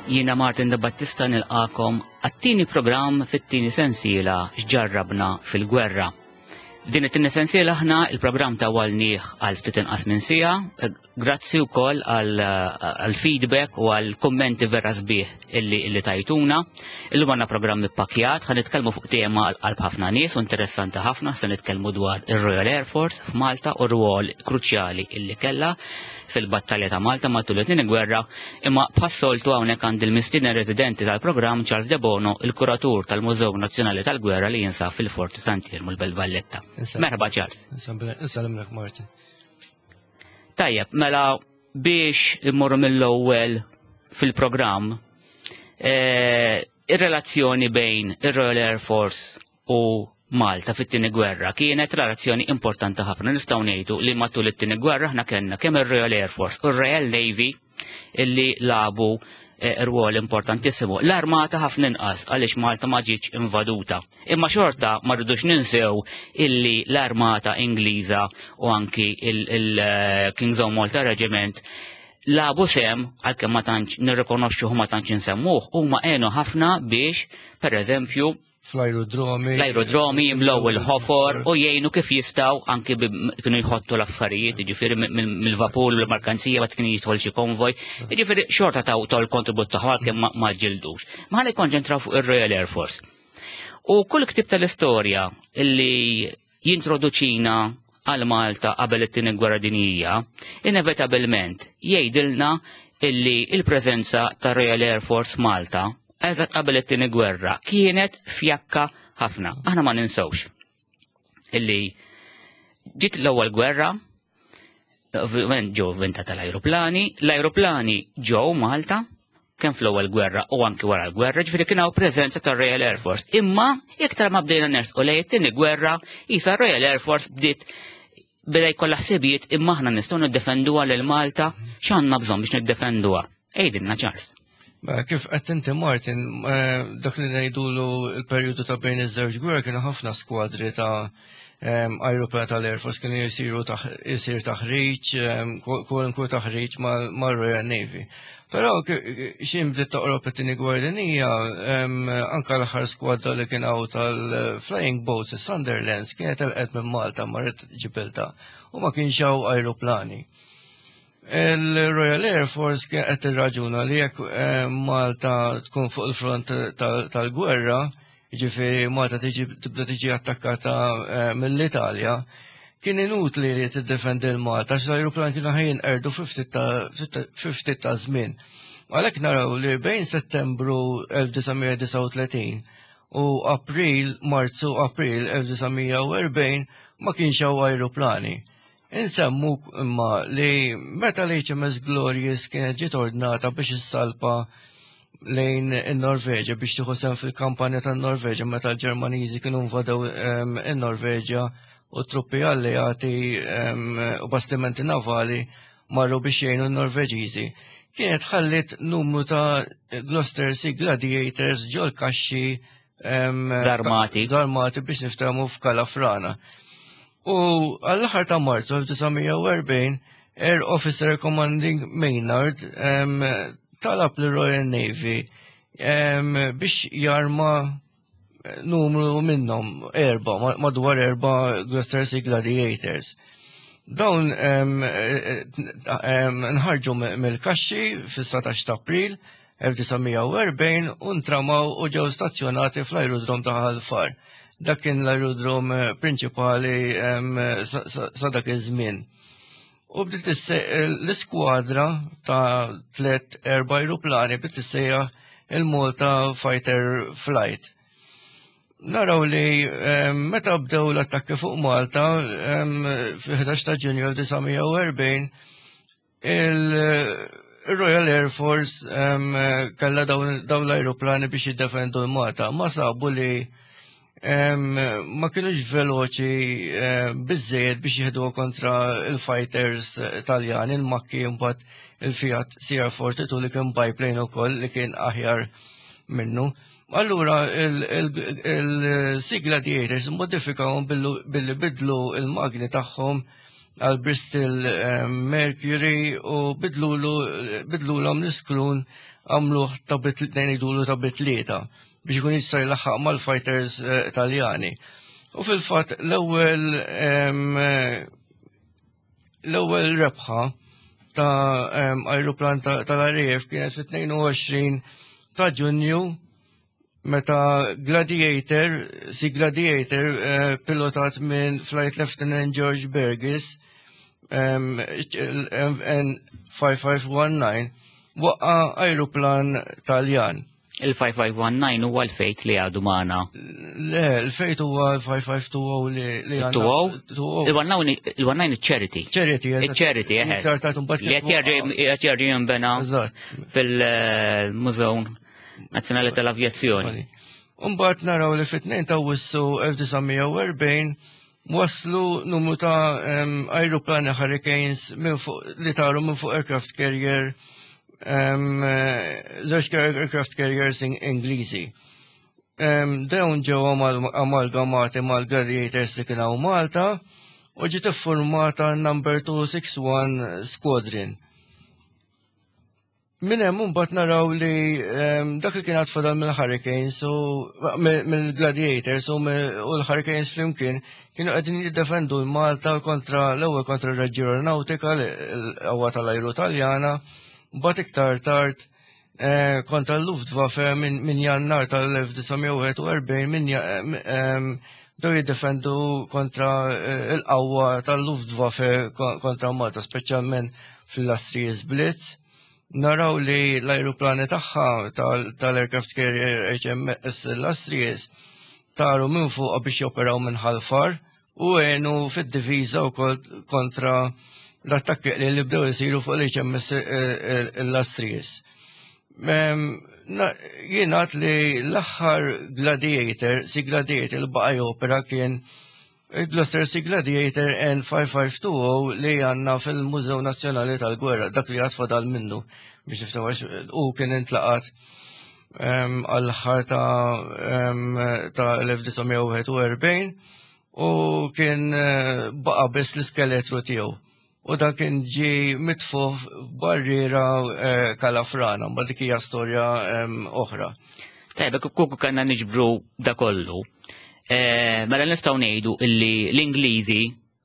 Jiena Martin De Battista nilqakom għat-tieni programm fit-tieni sensiela x'ġarrabna fil-gwerra. Din it-tieni sensiela aħna il-programm ta' walnieh għal ftit inqas minn sija, grazzi wkoll għal feedback u għal kummenti vera sbieħ illi, illi tajtuna. Illum għandna programm ippakjat, ħan nitkellmu fuq tema għal qalb ħafna nies u interessanti ħafna, se nitkellmu dwar ir-Royal Air Force f'Malta u r-rwol kruċjali illi kellha fil-battalja ta' Malta matul it-tieni gwerra, imma bħas-soltu hawnhekk għandi l-mistieden residenti tal-programm Charles Debono, il-kuratur tal-Mużew Nazzjonali tal-Gwerra li jinsab fil-Forti Sant'Iermu l-Belt Valletta. Merħba Charles. Insellimlek Martin. Tajjeb, mela biex immorru mill-ewwel fil-programm, eh, ir-relazzjoni bejn ir-Royal Air Force u Malta fit-tieni gwerra kienet relazzjoni importanti ħafna. Nistgħu ngħidu li matul it-tieni gwerra aħna kellna kemm ir-Royal Air Force u r-Royal Navy illi labu eh, rwol importantissimu. L-armata ħafna inqas għaliex Malta ma ġietx invaduta. Imma xorta ma rridux ninsew illi l-armata Ingliża u anki il-King's eh, Own Malta Regiment labu sem, għalkemm ma tantx nirrikonoxxuh ma tantx insemmuh, huma għenu ħafna biex, per eżempju, fl-aerodromi. L-aerodromi jimlow il-ħofor u jgħinu kif jistaw anki kienu jħottu l-affarijiet, ġifiri mill-vapur u l-markanzija ma kienu jidħol xi konvoj, ġifiri xorta taw tol kontribut tagħhom għalkemm ma ġildux. Ma ħalli konċentraw fuq ir-Royal Air Force. U kull ktib tal-istorja illi jintroduċina għal Malta qabel it-tieni gwerra dinjija, inevitabilment jgħidilna illi il-preżenza ta' Royal Air Force Malta eżatt qabel it-tieni gwerra kienet fjakka ħafna. Aħna ma ninsewx illi ġiet l-ewwel gwerra ġew venta tal-ajruplani, l-ajruplani ġew Malta kemm fl-ewwel gwerra u anki wara l-gwerra, ġifieri kien hawn preżenza tar-Royal Air Force. Imma iktar ma bdejna nersqu lejn it-tieni gwerra, isa Royal Air Force bdiet beda jkollha ħsibijiet imma aħna nistgħu niddefenduha lil Malta x'għandna bżonn biex niddefenduha. Ejdilna Charles. Mela, kif qed inti Martin, eh, dak li ngħidulu l-perjodu ta' bejn iż-żewġ gwerra kienu ħafna skwadri ta' ajruplan tal-Air Force kienu jisiru jisir taħriġ, kwalunkwe taħriġ mal-Royal Navy. Però xin bdiet toqrob it-tieni gwerra dinjija, anka l-aħħar skwadra li kien hawn tal-Flying Boats, is-Sunderlands, kienet telqet minn Malta marret Ġibilta u ma kienx hawn ajruplani. Il-Royal Air Force kien qed tirraġuna li jekk eh, Malta tkun fuq il-front tal-gwerra, jiġifieri Malta tiġi tibda tiġi attakkata eh, mill-Italja, kien inutli li tiddefendi l-Malta għax l-ajruplan kienu ħajin erdu fi ftit ta' żmien. Għalhekk naraw li bejn Settembru 1939 u April, Marzu, April 1940 ma kienx hawn ajruplani. Insemmu imma li meta l-HMS Glorious kienet ġiet ordnata biex issalpa lejn in-Norveġja biex tieħu sehem fil-kampanja tan-Norveġja meta l-Ġermaniżi kienu invadew ehm, in-Norveġja u truppi alleati ehm, u bastimenti navali marru biex jgħinu n-Norveġiżi. Kienet ħallit numru ta' Gloucester Sea Gladiators ġol kaxxi ehm, Zarmati. Zarmati biex niftehmu f'Kalafrana. U għall-aħħar ta' Marzu 1940, Air Officer Commanding Maynard talab l Royal Navy biex jarma numru minnhom erba, madwar erba Gloucester Sea Gladiators. Dawn nħarġu mill-kaxxi fis-19 ta' April 1940 u ntramaw u ġew stazzjonati fl-aerodrom ta' Ħal Far. Dak kien l-aerodrom eh, prinċipali sa dak iż-żmien. U bdiet l-iskwadra ta' tliet erba' ajruplani bdiet issejjaħ il-Malta Fighter Flight. Naraw li meta bdew l-attakki fuq Malta fil-11 ta' Ġunju 1940 Il-Royal Air Force kellha dawn l-ajruplani biex jiddefendu l-Malta. Ma sabu li ma kienux veloċi biżejjed biex jieħdu kontra il-fighters Taljani, il-makki mbagħad il-Fiat CR42 li kien biplane ukoll li kien aħjar minnu. Allura il-Sea Gladiators modifikawhom billi bidlu il-magni tagħhom. għal Bristol Mercury u bidlulhom l-iskrun għamluh ta' ngħidulu ta' bitlieta biex ikun jista' jlaħħaq mal-fighters Taljani. U fil-fatt l-ewwel l-ewwel rebħa ta' ajruplan tal-RAF kienet fit-22 ta' Ġunju meta Gladiator, Sea Gladiator pilotat minn Flight Lieutenant George Burgess N5519 waqqa ajruplan Taljan. Il-5519 huwa l-Fate li għadu magħna. Le, il-Fate huwa l-5520 li għandna. 20? Il-19 il-Charity. Charity, Il-Charity, eħe. Iktar tard imbagħad Li qed jerġa' jinbena fil-Mużew Nazzjonali tal-Avjazzjoni. Umbagħad naraw li fit-2 ta' Awwissu 1940 waslu numru ta' ajruplani Hurricanes minn fuq li taru minn fuq aircraft carrier, żewġ aircraft carriers Ingliżi. Dawn ġew amalgamati mal-Gladiators li kien hawn Malta u ġiet iffurmata number 261 Squadron. Minn hemm imbagħad naraw li dak li kien għad fadal mill-Hurricanes u mill-Gladiators u l-Hurricanes flimkien kienu qegħdin jiddefendu l-Malta kontra l-ewwel kontra r-Reggio Aeronautica, l-qawwa tal-ajru Taljana, mbagħad iktar tard kontra l-Luftwaffe minn Jannar tal-1941 minn bdew jiddefendu kontra l-qawwa tal-Luftwaffe kontra Malta, speċjalment fil-Illustrious Blitz. Naraw li l-ajruplani tagħha tal-aircraft carrier HMS Illustrious taru minn fuq biex joperaw minn Ħal Far u għenu fid-diviża wkoll kontra l-attakki li bdew isiru fuq l-HMS Illustrious. Jingħad li l-aħħar Gladiator, Sea Gladiator li baqa' jopera kien il-Gloster Sea Gladiator N5520 li għandna fil-Mużew Nazzjonali tal-Gwerra, dak li għad fadal minnu biex niftawax, u kien intlaqat għall-aħħar ta' 1941 u kien baqa' biss l-iskeletru tiegħu. U dak kien ġi mitfuh f'barriera Kalafrana, ma dik hija storja oħra. Tajba, kuku kanna niġbru da kollu. Mela nistgħu ngħidu illi l-Ingliżi,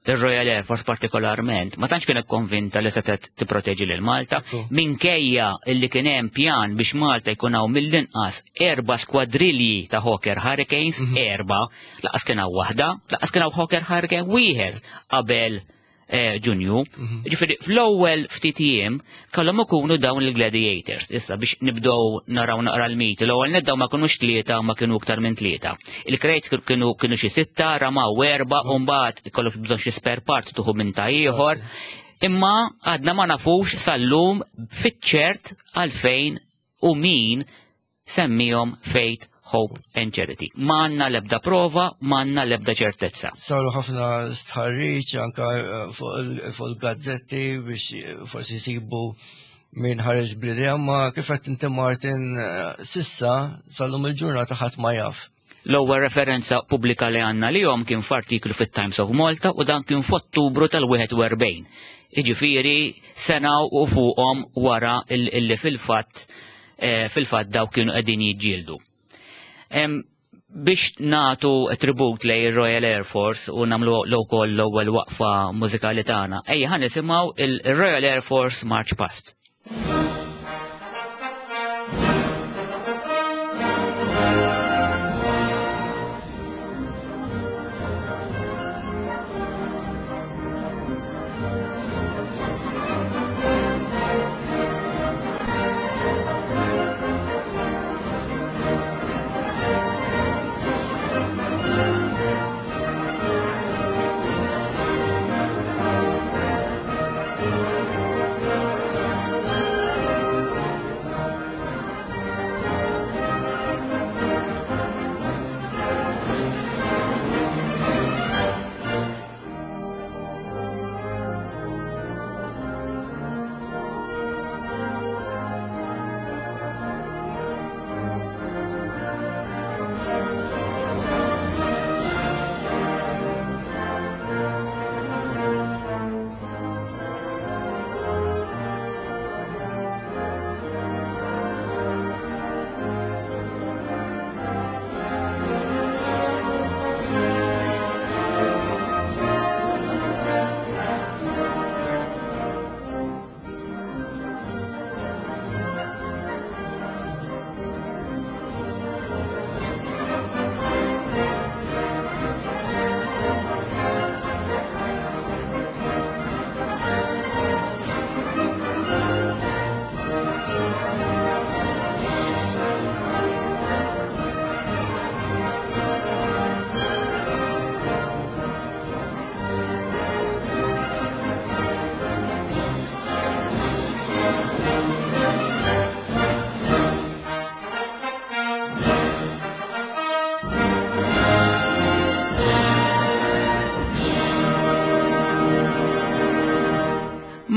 il-Royal Air Force partikolarment, ma tantx kienet konvinta li setgħet tipproteġi lil Malta, minkejja illi kien hemm pjan biex Malta jkun hawn mill-inqas 4 skwadrilji ta' Hawker Hurricanes, 4, laqas kien hawn waħda, laqas kien hawn Hawker Hurricane wieħed qabel Ġunju. Ġifieri fl-ewwel ftit jiem kellhom ikunu dawn il-Gladiators. Issa biex nibdew naraw naqra l-miti, l-ewwel nibdew ma kinux 3, ma kienu iktar minn 3. Il-crates kienu xi 6, ramaw 4, u mbagħad ikollok bżonn xi spare part tuħu minn ta' ieħor. Imma għadna ma nafux sal-lum fiċ-ċert għalfejn u min semmihom Faith, Hope and Charity. Ma għandna l-ebda prova, ma għandna l-ebda ċertezza. Saru ħafna stħarriġ anka fuq il-gazzetti biex forsi jsibu min ħareġ bl-idea, ma kif qed inti Martin sissa sal-lum il-ġurnata ħadd ma jaf. L-ewwel referenza pubblika li għandna lihom kien f'artiklu fit-Times of Malta u dan kien f'Ottubru tal-41. Jiġifieri sena u fuqhom wara illi fil-fatt daw kienu qegħdin jiġġieldu. Biex natu tribut lej il-Royal Air Force u namlu l-ukoll l-ewwel waqfa mużikali tagħna, ejja ħa nisimgħu il-Royal Air Force March Past.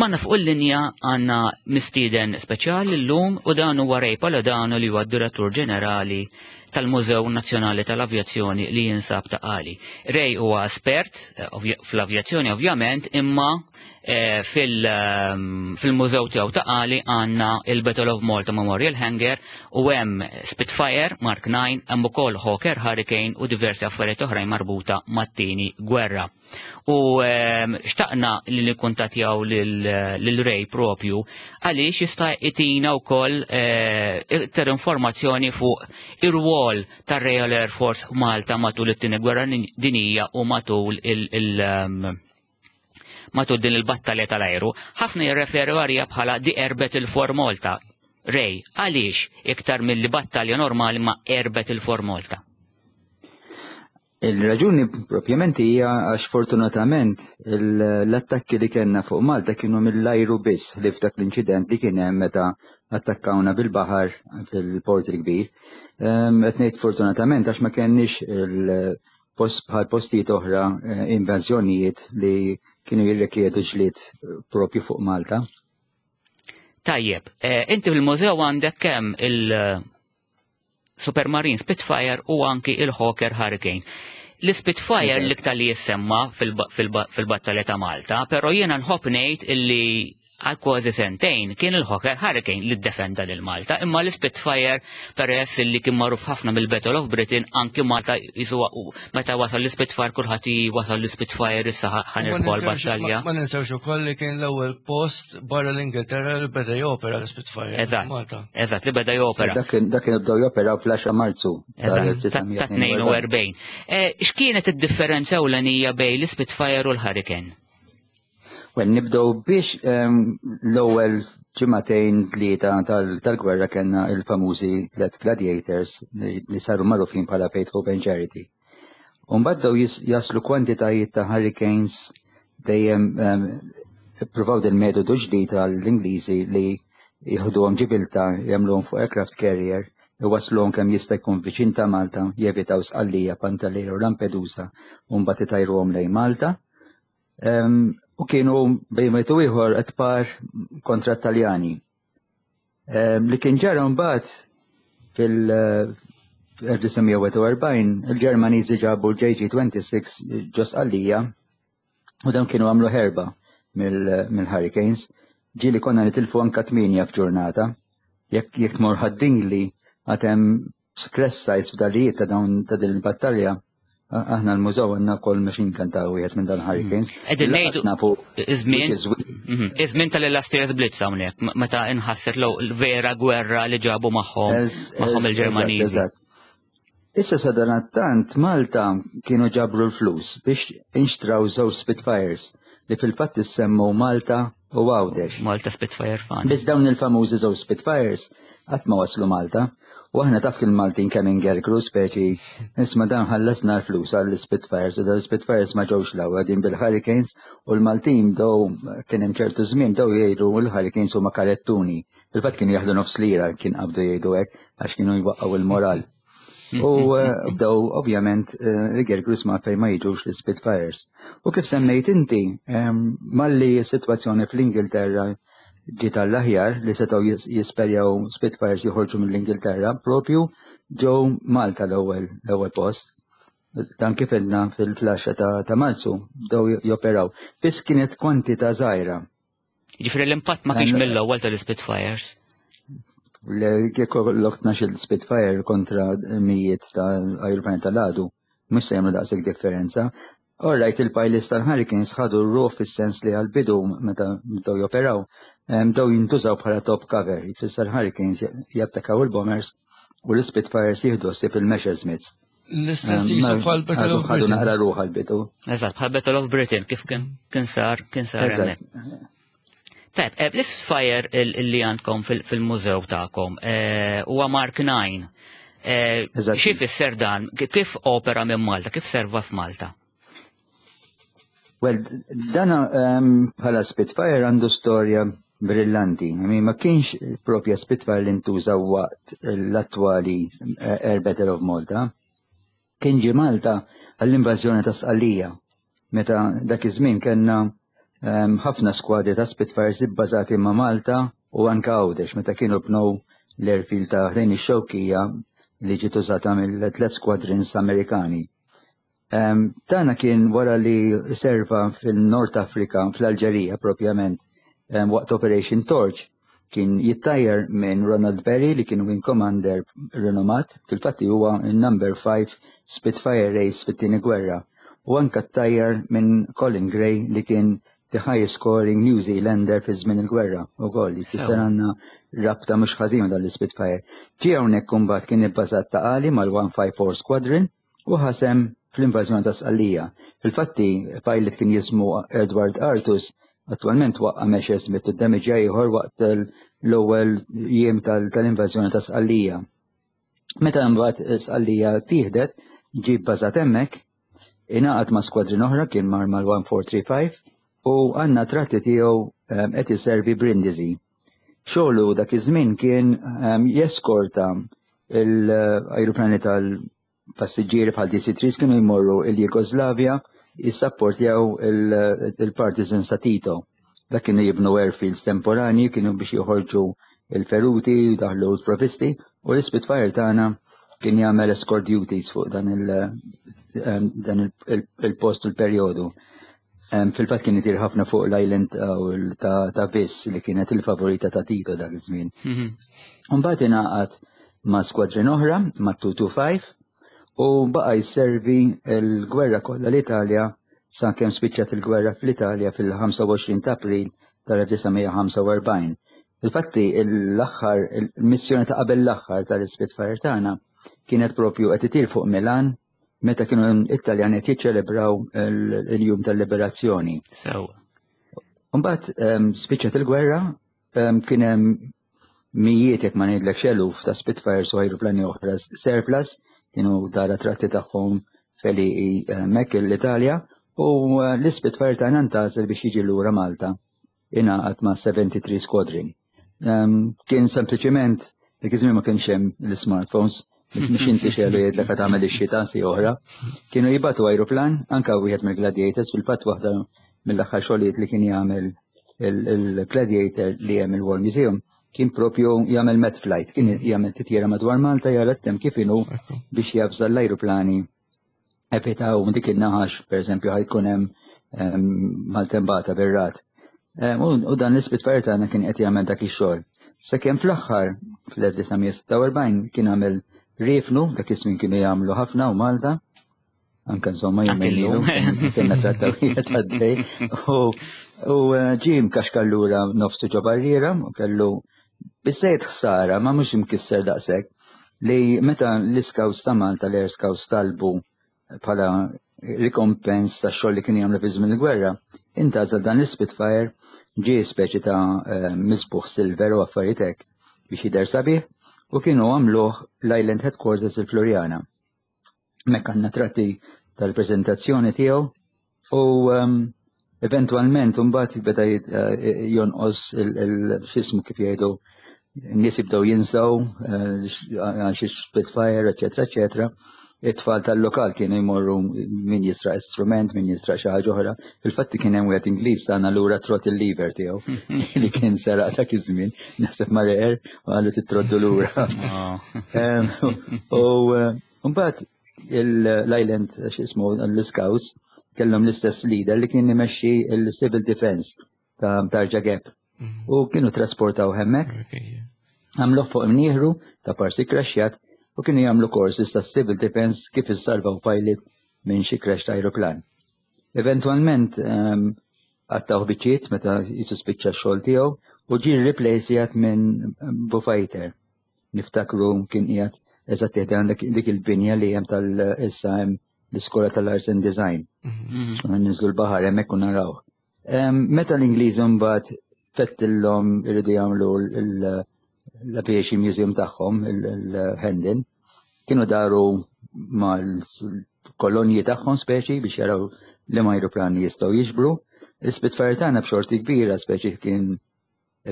Magħna fuq il-linja għandna mistieden speċjali llum u dan huwa Ray Paladano li huwa d-Direttur Ġenerali tal-Mużew Nazzjonali tal-Avjazzjoni li jinsab ta' Qali. Ray huwa espert eh, fl-avjazzjoni ovvjament imma eh, ehm, fil-mużew tiegħu ta' Qali għandna il-Battle of Malta Memorial Hangar u hemm Spitfire Mark 9 hemm ukoll Hawker Hurricane u diversi affarijiet oħrajn marbuta mat-tieni gwerra. U ehm, xtaqna li nikkuntattjaw lil Ray propju għaliex jista' itina wkoll eh, iktar informazzjoni fuq ir-rwol tar-Royal Air Force Malta matul it-tieni gwerra dinija u matul il- ehm, matul din il-battalja tal-ajru. Ħafna jirreferu għalija bħala The Air Battle for Malta. Ray, għaliex iktar mill-li battalja normali ma Air Battle for Malta? Il-raġuni propjament hija għax fortunatament l-attakki li kellna fuq Malta kienu mill-ajru biss li f'dak l-inċident li kien hemm meta attakkawna bil-baħar fil-Port il-Kbir. Ehm, qed ngħid fortunatament għax ma kenniex bħal postijiet oħra eh, invażjonijiet li kienu jirrikjedu ġlied propju fuq Malta. Tajjeb, eh, inti fil-mużew għandek kemm il- Supermarine Spitfire u anki il-Hawker Hurricane. L-Spitfire l-iktar li jissemma fil-battalja ta' Malta, pero jiena nħobb ngħid illi għal kważi sentejn kien il-Hawker Hurricane li ddefenda lil Malta, imma l-Spitfire peress li kien magħruf ħafna mill-Battle of Britain anki Malta jisu meta wasal l-Spitfire kulħadd wasal l-Spitfire issa ħanirbħu l-battalja. Ma ninsewx ukoll li kien l-ewwel post barra l-Ingilterra li beda jopera l-Spitfire. Eżatt. Malta. Eżatt, li beda jopera. Dak kien bdew jopera fl-10 Marzu. Eżatt, ta' 42. Eh, x'kienet id-differenza ewlenija bejn l-Spitfire u l-Hurricane? Well, nibdew biex ehm, l-ewwel ġimagħtejn tlieta tal-gwerra kellna il-famużi tliet gladiators li saru magħrufin bħala Faith, Hope and Charity. U mbagħad bdew jaslu kwantitajiet ta' hurricanes dejjem ehm, ippruvaw din metodu ġdid għall-Ingliżi li jieħduhom ġibilta jagħmluhom fuq aircraft carrier iwassluhom kemm jista' jkun viċin ta' Malta, jevitaw Sqallija, Pantelleria u Lampedusa u mbagħad itajruhom lejn Malta. Ehm, u kienu bejn wieħed u ieħor qed par kontra t-Taljani. Ehm, li kien ġara mbagħad fil-1941 il-Ġermaniżi ġabu l-JG26 ġo Sqallija u dawn kienu għamlu ħerba mill-Hurricanes. Ġieli konna nitilfu anka tmienja f'ġurnata. Jekk jekk tmur Ħad-Dingli għad hemm crash sites f'dalijiet ta' dawn ta' din il-battalja Aħna l-mużew għandna wkoll machine gun ta' wieħed minn dan Hurricanes. Mm. Qegħdin ngħidu nafu iż-żmien mhm. iż-żmien tal-Illustrious Blitz hawnhekk meta inħasset l vera gwerra li ġabu magħhom magħhom il-Ġermaniżi. Issa sadanattant Malta kienu ġabru l-flus biex inxtraw żewġ Spitfires li fil-fatt issemmu Malta u Għawdex. Malta Spitfire Fund. Biss dawn il-famużi żewġ Spitfires qatt ma waslu Malta. U aħna taf kien Maltin kemm ingergru speċi isma' dan ħallasna l-flus għall-Spitfires u dawn Spitfires ma ġewx l din bil-Hurricanes u l-Maltin bdew kien hemm ċertu żmien bdew jgħidu l-Hurricanes huma karettuni. Fil-fatt kienu jaħdu nofs lira kien qabdu jgħidu hekk għax kienu jwaqqgħu il-moral. U eh, bdew ovvjament eh, igergru sma fejn ma jiġux l-Spitfires. U kif semmejt inti, ehm, malli s-sitwazzjoni fl-Ingilterra ġiet għall-aħjar li setgħu jisperjaw Spitfires joħorġu mill-Ingilterra, propju ġew Malta l-ewwel l-ewwel post. Dan kif edna fil-flaxxa ta', ta Marzu bdew joperaw. Biss kienet kwantità żgħira. Ġifri l-impatt ma kienx mill-ewwel tal-Spitfires. Kieku l 12 Spitfire kontra mijiet ta' ajruplani tal-għadu, mhux se jagħmlu daqshekk differenza. All right, il-pilots tal-Hurricanes ħadu r-ruħ fis-sens li għal-bidu meta bdew joperaw, bdew jintużaw bħala top cover, jfisser Hurricanes jattakaw il-bombers u l-Spitfires jieħdu ħsieb il-Messerschmitts. L-istess jisu bħal Battle of Britain. Ħadu naqra ruħ għal-bidu. Eżatt, bħal Battle of Britain, kif kien sar, kien sar Tajb, eh, l-Spitfire li għandkom fil-mużew tagħkom eh, huwa Mark 9. Eh, xi fisser dan? Kif opera minn Malta? Kif serva f'Malta? Well, dan ehm, bħala Spitfire għandu storja brillanti. I ma kienx propja Spitfire li ntuża waqt l-attwali Air Battle of Malta. Kien ġie Malta għall-invażjoni ta' Sqallija. Meta dak iż-żmien kellna ħafna skwadri ta' Spitfires ibbażati ma' Malta u anke Għawdex meta kienu bnew l-airfield ta' ħdejn ix-Xewkija li ġiet użata mill-tliet squadrons Amerikani. Tana kien wara li serva fil-Nord Afrika, fl-Alġerija propjament, waqt Operation Torch, kien jittajjar minn Ronald Berry li kien wing commander rinomat, fil-fatti huwa number 5 Spitfire Race fit-tieni gwerra, u anka ttajjar minn Colin Gray li kien the highest scoring New Zealander fi żmien il-gwerra ukoll, jfisser għandna rabta mhux ħażin dan l-Spitfire. Ġie hawnhekk imbagħad kien ibbażat Ta' Qali mal-154 Squadron u ħa sehem fl-invażjoni ta' Sqallija. Fil-fatti, pilot kien jismu Edward Artus, attwalment waqqa' Messerschmitt u ddemiġġja ieħor waqt l-ewwel jiem tal-invażjoni ta' Sqallija. Meta mbagħad Sqallija tieħdet, ġie bbażat hemmhekk, ingħaqad ma' skwadrin oħra kien mar mal-1435 u għandna tratti tiegħu qed iservi Brindisi. Xogħlu dak iż-żmien kien jeskorta l-ajruplani tal-passiġġieri bħal DC-3 kienu jmorru il-Jugoslavja jissapportjaw il-partisans ta' Tito. Dak kienu jibnu airfields temporani, kienu biex joħorġu il-feruti, daħlu l-provisti, u l-Spitfire tagħna kien jagħmel escort duties fuq dan il-post u l-perjodu. Fil-fatt kien itir ħafna fuq l-island ta' Vis li kienet il-favorita ta' Tito dak iż-żmien. Mbagħad ingħaqad ma' skwadrin oħra, ma' 225, u baqa' jservi l-gwerra kollha l-Italja sa kemm spiċċat il-gwerra fl-Italja fil-25 ta' April tal-1945. Infatti l-aħħar il-missjoni ta' qabel l-aħħar tal-Spitfire tagħna kienet propju qed itir fuq Milan meta kienu it-Taljani qed jiċċelebraw il-jum tal-liberazzjoni. Sewa. Mbagħad spiċċat il-gwerra, kien hemm mijiet jekk ma ngħidlek eluf ta' Spitfires u ajruplani oħra surplus kienu dara tratti tagħhom feli hemmhekk l-Italja u l-Spitfire tagħna ntgħażel biex jiġi lura Malta ingħaqad ma' 73 Squadron. Kien sempliċiment dik iż-żmien ma kienx hemm l-smartphones, mhux inti xelu jgħidlek qed tagħmel ix-xita si oħra. Kienu jibatu ajruplan anke wieħed mill-Gladiators fil-fatt waħda mill-aħħar xogħlijiet li kien jagħmel il-Gladiator li hemm il-War Museum kien propju jagħmel met flight, kien jagħmel titjira madwar Malta jara t-tem kif inhu biex jafża l-ajruplani evitaw dik in-naħax, per eżempju, ħajkun hemm maltembata bir-rat. U dan l-Spitfire tagħna kien qed jagħmel dak ix-xogħol. Sakemm fl-aħħar fl-1946 kien għamel riefnu, dak iż-żmien kienu jagħmlu ħafna u Malta, anke insomma jumejn ilu, kienna trattawijiet għaddej. U ġie mkaxkar lura nofsu ġo barriera u kellu biżejjed ħsara ma mhux imkisser daqshekk li meta l-Scouts ta' Malta l-Air Scouts talbu bħala rikompens ta' xogħol li kien jagħmlu fi żmien il-gwerra, intgħażel dan l-Spitfire ġie speċi ta' misbuħ silver u affarijiet hekk biex jidher sabiħ u kienu għamluh l-Island Headquarters il-Floriana. Hemmhekk għandna tratti tal-preżentazzjoni tiegħu u eventwalment imbagħad beda jonqos il-xismu kif jgħidu n-nies jibdew jinsaw għal xi Spitfire, eċetera, eċetera. It-tfal tal-lokal kienu jmorru min jisraq instrument, min jisraq xi ħaġa oħra. Fil-fatti kien hemm wieħed Ingliż tagħna lura trot il-lever tiegħu li kien seraq dak iż-żmien, naħseb mar eqer u qalu titroddu lura. U mbagħad l-Island x'ismu l-Scouts kellhom l-istess leader li kien imexxi l-Civil Defense ta' Tarġa Gap. U kienu trasportaw hemmhekk. Għamluh fuq imnieħru ta' parsi crashjat u kienu jagħmlu courses ta' Civil Defense kif issalvaw pilot minn xi crash ta' aeroplan. Eventwalment għattaw biċċiet meta jisu spiċċa x-xogħol tiegħu u ġie replaced minn Bufighter. Niftakru kien qiegħed eżatt għandek dik il-binja li hemm tal-issa hemm l-iskola tal-Arts and Design. Konna ninżlu l-baħar hemmhekk u naraw. Meta l-Ingliżi mbagħad fettilhom iridu jagħmlu l-Aviation Museum tagħhom, il-Hendon, kienu daru mal-kolonji tagħhom speċi biex jaraw li ma ajruplani jistgħu jiġbru. L-Spitfire tagħna b'xorti kbira speċi kien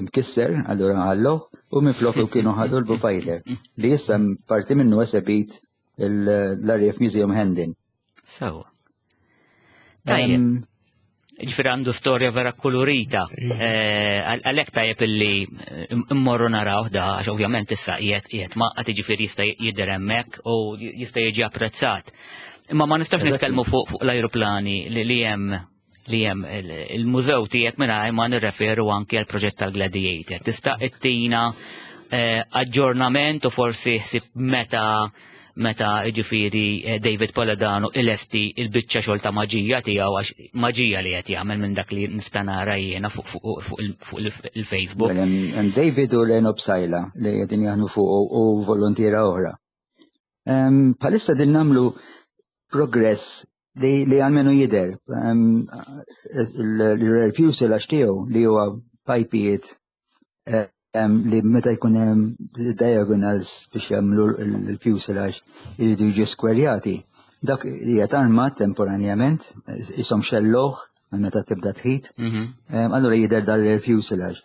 mkisser, allura ħalluh, u minflok kienu ħadu l-Bufighter li issa parti minnu esebit l-RAF Museum Hendon. Sewa. Tajjeb. Ġifieri għandu storja vera kolorita. Eh, għalhekk tajjeb illi eh, immorru naraw da, għax ovvjament issa qiegħed qiegħed ma' jiġifieri jista' jidher hemmhekk u jista' jiġi apprezzat. Imma ma nistax nitkellmu fuq l-ajruplani li hemm li hemm il-mużew tiegħek mingħajr ma nirreferu anki għal proġett tal-Gladiator. Tista' ittina eh, aġġornament u forsi ħsib meta meta ġifieri eh, David Poledano ilesti il-biċċa xogħol ta' maġija tiegħu għax maġija li qed jagħmel minn dak li nista' nara jiena fuq il-Facebook. Mela, David u Leno Psajla li qegħdin jaħdmu fuq u volontiera oħra. Bħalissa din namlu progress li li għalmenu jider. Il-rear fuselage tiegħu li huwa pajpijiet li meta jkun hemm diagonals biex jagħmlu l-fuselage jridu jiġu skwerjati. Dak qiegħed armat temporanjament, isom xelloħ meta tibda tħit. Allura jidher dar-rear fuselage.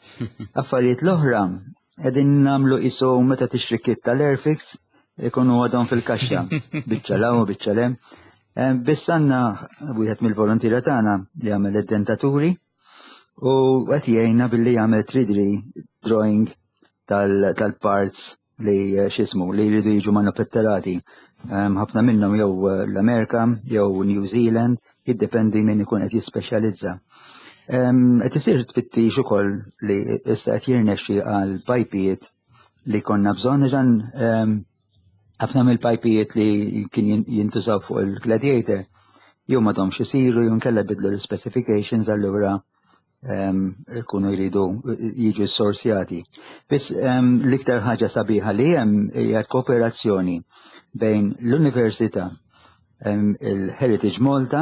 Affarijiet l-oħra qegħdin nagħmlu isu meta tixtri kit tal-Airfix ikunu għadhom fil-kaxxa, biċċa law u biċċa lem. Biss għandna wieħed mill-volontiera tagħna li jagħmel id-dentaturi u qed jgħinna billi jagħmel 3D drawing tal-parts li eh, xismu li jridu jiġu manufetturati. Ħafna minnhom jew eh, l-Amerika jew New Zealand, jiddependi min ikun qed jispeċjalizza. Qed isir tfittix ukoll li issa qed jirnexxi għal pajpijiet li konna bżonn ġan ħafna mill-pajpijiet li kien jintużaw fuq il-Gladiator jew m'għadhomx isiru jew nkella bidlu l-specifications allura ikunu jridu jiġu sorsjati. Biss l-iktar ħaġa sabiħa li hemm hija kooperazzjoni bejn l-Università, il-Heritage Malta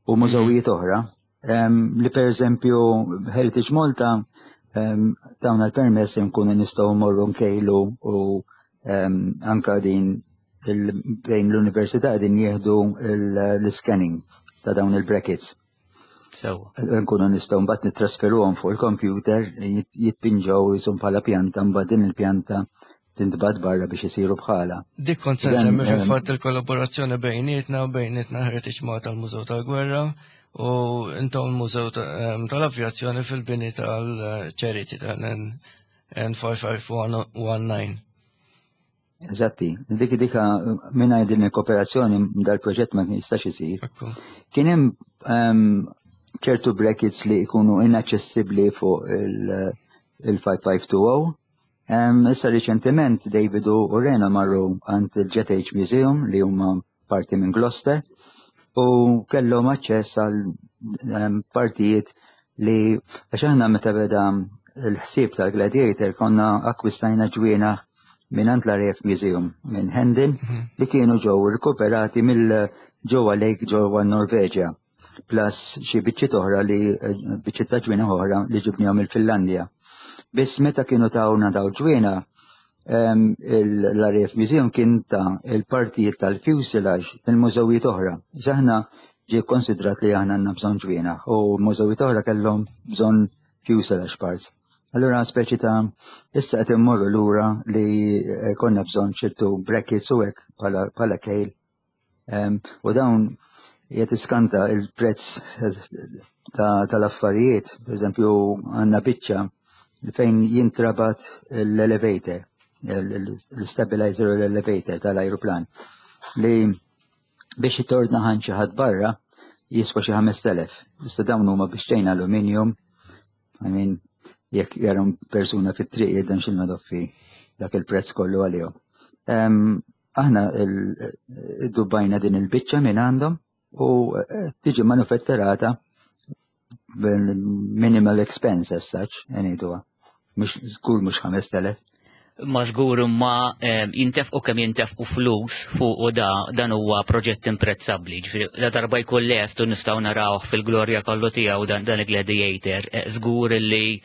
u mużewijiet oħra li per eżempju Heritage Malta tawna l-permess nkunu nistgħu morru nkejlu u anka din bejn l-università din jieħdu l-scanning ta' dawn il-brackets. Nkunu nistgħu mbagħad nittrasferuhom fuq il-computer jitpinġew jisum bħala pjanta mbagħad din il-pjanta tintbagħat barra biex isiru bħala. Dik kont se nsemmi fil-fatt il-kollaborazzjoni bejnietna u bejnietna Heritage Malta tal-Mużew tal-Gwerra u intom il-Mużew tal-Avjazzjoni fil-bini tal-Charity tal-N5519. Eżatti, dik dika mingħajr din il-kooperazzjoni dal-proġett ma jistax isir. Kien hemm ċertu brackets li jkunu inaċċessibbli fuq il-5520. Issa riċentement David u Rena marru għand il-Jet Age Museum li huma parti minn Gloucester u kellhom aċċess għal partijiet li għax aħna meta beda l-ħsieb tal-Gladiator konna akkwistajna ġwiena minn għand l-RAF Museum minn Hendon li kienu ġew rikuperati mill ġewwa Lake ġewwa Norveġja plus xi biċċiet oħra li biċċiet ta' ġwiena oħra li ġibnihom il-Finlandja. Biss meta kienu tawna daw ġwiena l-RAF Museum kien ta' il-partijiet tal-fuselage mill-mużewijiet oħra. Aħna ġie konsidrat li aħna għandna bżonn ġwiena u mużewijiet oħra kellhom bżonn fuselage parts. Allura speċi ta' issa qed immorru lura li eh, konna bżonn ċertu brackets u hekk bħala kejl. U dawn qed iskanta il-prezz tal-affarijiet, per eżempju għandna biċċa fejn jintrabat l-elevator, l-stabilizer u l-elevator tal-ajruplan li biex jitordna ħan xi ħadd barra jiswa xi 5000. Issa dawn huma biex tgħin aluminium, I mean, jekk jarom persuna fit-triq jidden xilna doffi dak il-prezz kollu għalihom. Aħna dubbajna din il-biċċa minn għandhom u eh, tiġi manufetturata minimal expense as such, ngħiduha. Mhux żgur mhux 5000. Ma żgur imma jintefqu kemm jintefqu flus fuq u da dan huwa proġett imprezzabbli. Ġifieri la darba jkun lest u nistgħu narawh fil-glorja kollu tiegħu dan dan il-Gladiator, eh, żgur illi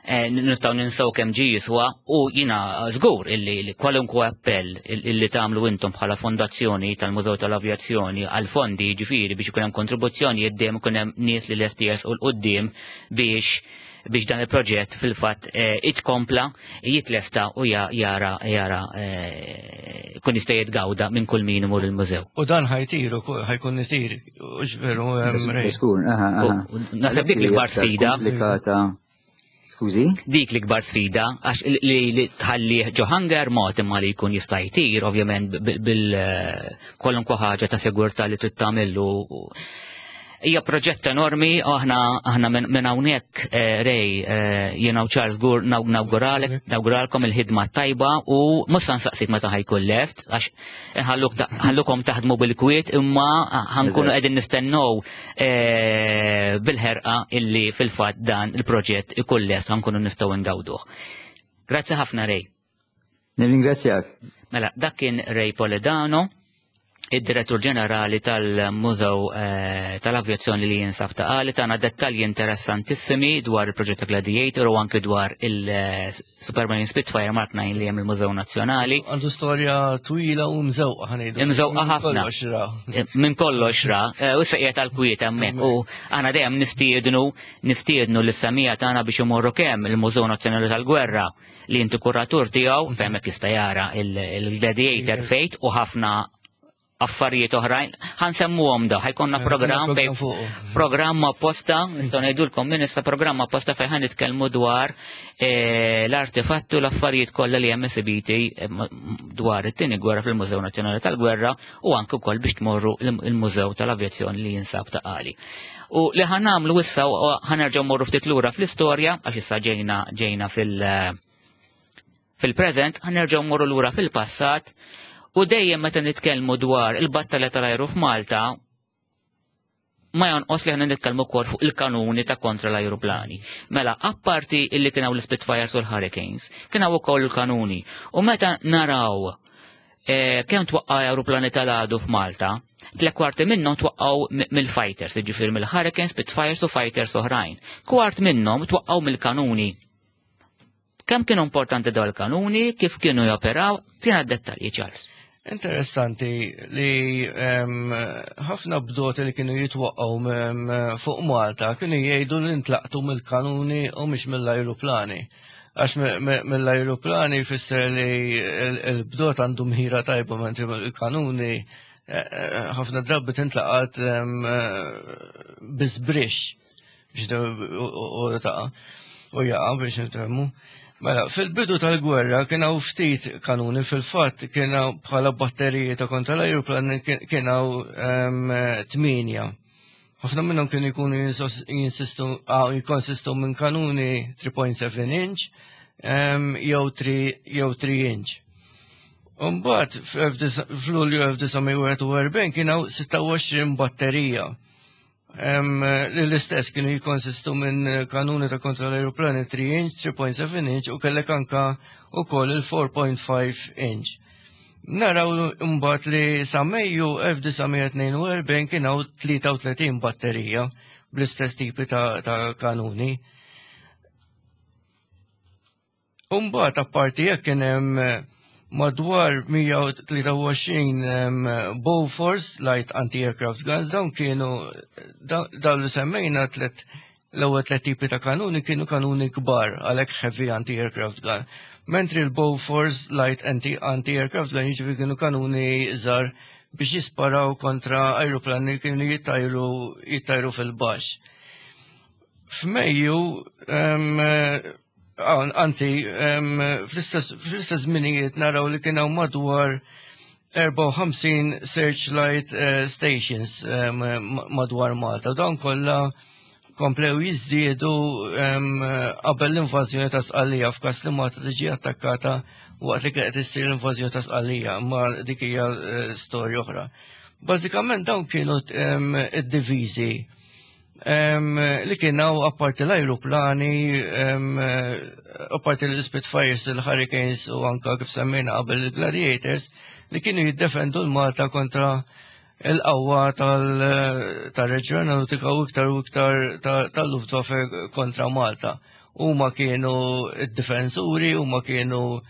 eh, nistgħu ninsew kemm ġie jiswa u jiena żgur illi kwalunkwe appell illi tagħmlu intom bħala fondazzjoni tal-Mużew tal-Avjazzjoni għal fondi ġifieri biex ikun hemm kontribuzzjoni dejjem ikun hemm nies li lesti jersqu 'l quddiem biex biex dan il-proġett fil-fatt eh, itkompla jitlesta u jara jara eh, kun jista' jitgawda minn kull min imur il-mużew. U dan ħajtir ukoll ħajkun itir, u veru Naħseb dik l-ikbar sfida. Skużi? Dik l-ikbar sfida, għax li tħalli ġo hangar mod imma li jkun jista' jtir, ovvjament bil eh, kwalunkwe ħaġa ta' sigurtà li trid tagħmillu Hija proġett enormi, aħna aħna minn hawnhekk eh, Rej eh, jiena u Charles Gur nawguralek, nawguralkom il-ħidma tajba u mhux se nsaqsik meta ħajkun lest għax ħallukom taħdmu bil-kwiet imma ħankunu qegħdin nistennew eh, bil-ħerqa illi fil-fatt dan il-proġett ikun lest ħankunu nistgħu ngawduh. Grazzi ħafna Rej. Nirringrazzjak. Mela, dak kien Ray Poledano, id-direttur ġenerali tal-Mużew eh, tal-Avjazzjoni li jinsab ta' għali tana dettalji interessantissimi dwar il-proġett ta' Gladiator u anke dwar il-Superman Spitfire Mark 9 li hemm il-Mużew Nazzjonali. Għandu storja twila u mżewqa ħanejdu. Mżewqa ħafna. Eh, minn kollox ra, eh, u sejja tal-kwiet hemmhekk u aħna dejjem nistiednu nistiednu lis-semija tagħna biex imorru kemm il-Mużew Nazzjonali tal-Gwerra li inti kuratur tiegħu fejn hekk jista' jara il-gladiator fejt u ħafna affarijiet oħrajn. Ħansemmuhom da, ħajkonna programm fejn programm apposta, nistgħu ngħidulkom minn issa programm apposta fejn ħan nitkellmu dwar eh, l-artefatti u l-affarijiet kollha li hemm esibiti eh, dwar it-tieni gwerra fil-Mużew Nazzjonali tal-Gwerra u anke wkoll biex tmorru il-Mużew tal-Avjazzjoni li jinsab ta' Qali. U li ħan nagħmlu issa ħanerġgħu morru ftit lura fl-istorja għax issa ġejna ġejna fil- fil-preżent ħanerġgħu morru lura fil-passat u dejjem meta nitkellmu dwar il-battalja tal-ajru f'Malta ma jonqos li ħna nitkellmu wkoll fuq il-kanuni ta' kontra l-ajruplani. Mela, apparti illi kien hawn l-Spitfires u l-Hurricanes, kien hawn ukoll il-kanuni. U meta naraw Eh, kemm twaqqa aeroplani tal-għadu f'Malta, tle kwarti minnhom twaqqgħu mill-fighters, jiġifieri mill-Hurricanes, Spitfires u fighters oħrajn. Kwart minnhom twaqqgħu mill-kanuni. Kemm kienu importanti dawn il-kanuni, kif kienu joperaw, tina dettalji Charles. Interessanti li ħafna bdoti li kienu jitwaqqgħu fuq Malta kienu jgħidu li ntlaqtu mill-kanuni u mhux mill-ajruplani. Għax mill-ajruplani jfisser li l-bdot għandu mħira tajba mentri il-kanuni eh, eh, ħafna drabi tintlaqat eh, bizbrix biex u taqa' u jaqa' biex nitemmu. Mela, fil-bidu tal-gwerra kien hawn ftit kanuni fil-fatt kien hawn bħala batteriji ta' kontra l-ajruplan kien hawn tminja. Ħafna minnhom kienu jkunu jinsistu jikkonsistu minn kanuni 3.7 inch jew 3 jew 3 inch. Umbagħad f'Lulju 1941 kien hawn 26 batterija. Li l-istess kienu jikkonsistu minn kanuni ta' kontra l-aeroplani 3 inch, 3.7 inch u kellek anka ukoll il-4.5 inch. Naraw imbagħad li sa Mejju 1942 kien hawn 33 batterija bl-istess tipi ta', ta kanuni. Umbagħad apparti jekk kien hemm eh, madwar 123 Bofors light anti-aircraft guns dawn kienu dawn li semmejna tlet L-ewwel tliet tipi ta' kanuni kienu kanuni kbar, għalhekk heavy anti-aircraft gun. Mentri l-Bofors light anti-aircraft gun jiġifieri kienu kanuni żgħar biex jisparaw kontra ajruplani li kienu jittajru jittajru fil-baxx. F'Mejju, anzi, fl-istess żminijiet naraw li kien hawn madwar 54 searchlight eh, stations madwar Malta. Dawn kollha komplew jiżdiedu qabel l-invażjoni ta' Sqallija f'każ li Malta tiġi attakkata waqt li kienet issir l-invażjoni ta' Sqallija, imma dik hija eh, storja oħra. Bażikament dawn kienu id-diviżi li kien hawn apparti l-ajruplani, apparti l-Spitfires, il-Hurricanes u anka kif semmejna qabel il-Gladiators li kienu jiddefendu l-Malta kontra il-qawwa tal-reġjun nautika u iktar u iktar tal-Luftwaffe kontra Malta. Huma kienu d-difensuri, huma kienu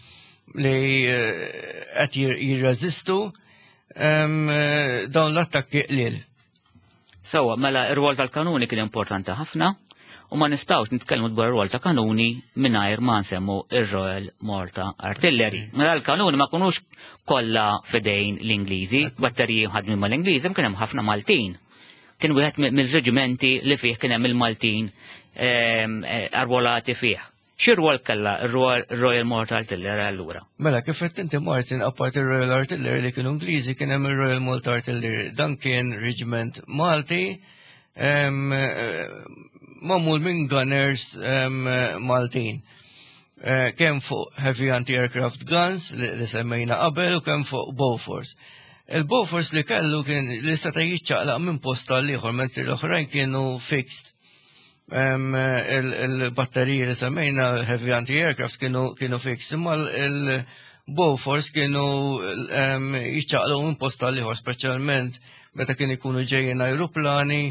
li eh, qed jirreżistu dawn l-attakki qliel. Sewwa, mela r-rwol tal-kanuni kien importanti ħafna. U ma nistgħux nitkellmu dwar rwol ta' kanuni mingħajr ma nsemmu ir-Royal Malta Artillery. Mela l-kanuni ma kunux kollha fidejn l-Ingliżi, batteriji ħadmin mal-Ingliżi, kien hemm ħafna Maltin. Kien wieħed mill-reġimenti li fih kien hemm il-Maltin arwolati fih. Xi rwol kellha r-Royal Malta Artillery allura? Mela, kif qed inti Martin, apparti ir-Royal Artillery li kienu Ingliżi, kien hemm ir-Royal Malta Artillery. Dan kien reġiment Malti magħmul minn gunners Maltin. Kemm fuq heavy anti-aircraft guns li semmejna qabel u kemm fuq Bofors. Il-Bofors li kellu kien li seta' jiċċaqlaq minn post għal ieħor, mentri l-oħrajn kienu fixed. Il-batteriji li semmejna heavy anti-aircraft kienu fix, imma il-Bofors kienu jiċċaqlu minn post għal ieħor, speċjalment meta kien ikunu ġejjin ajruplani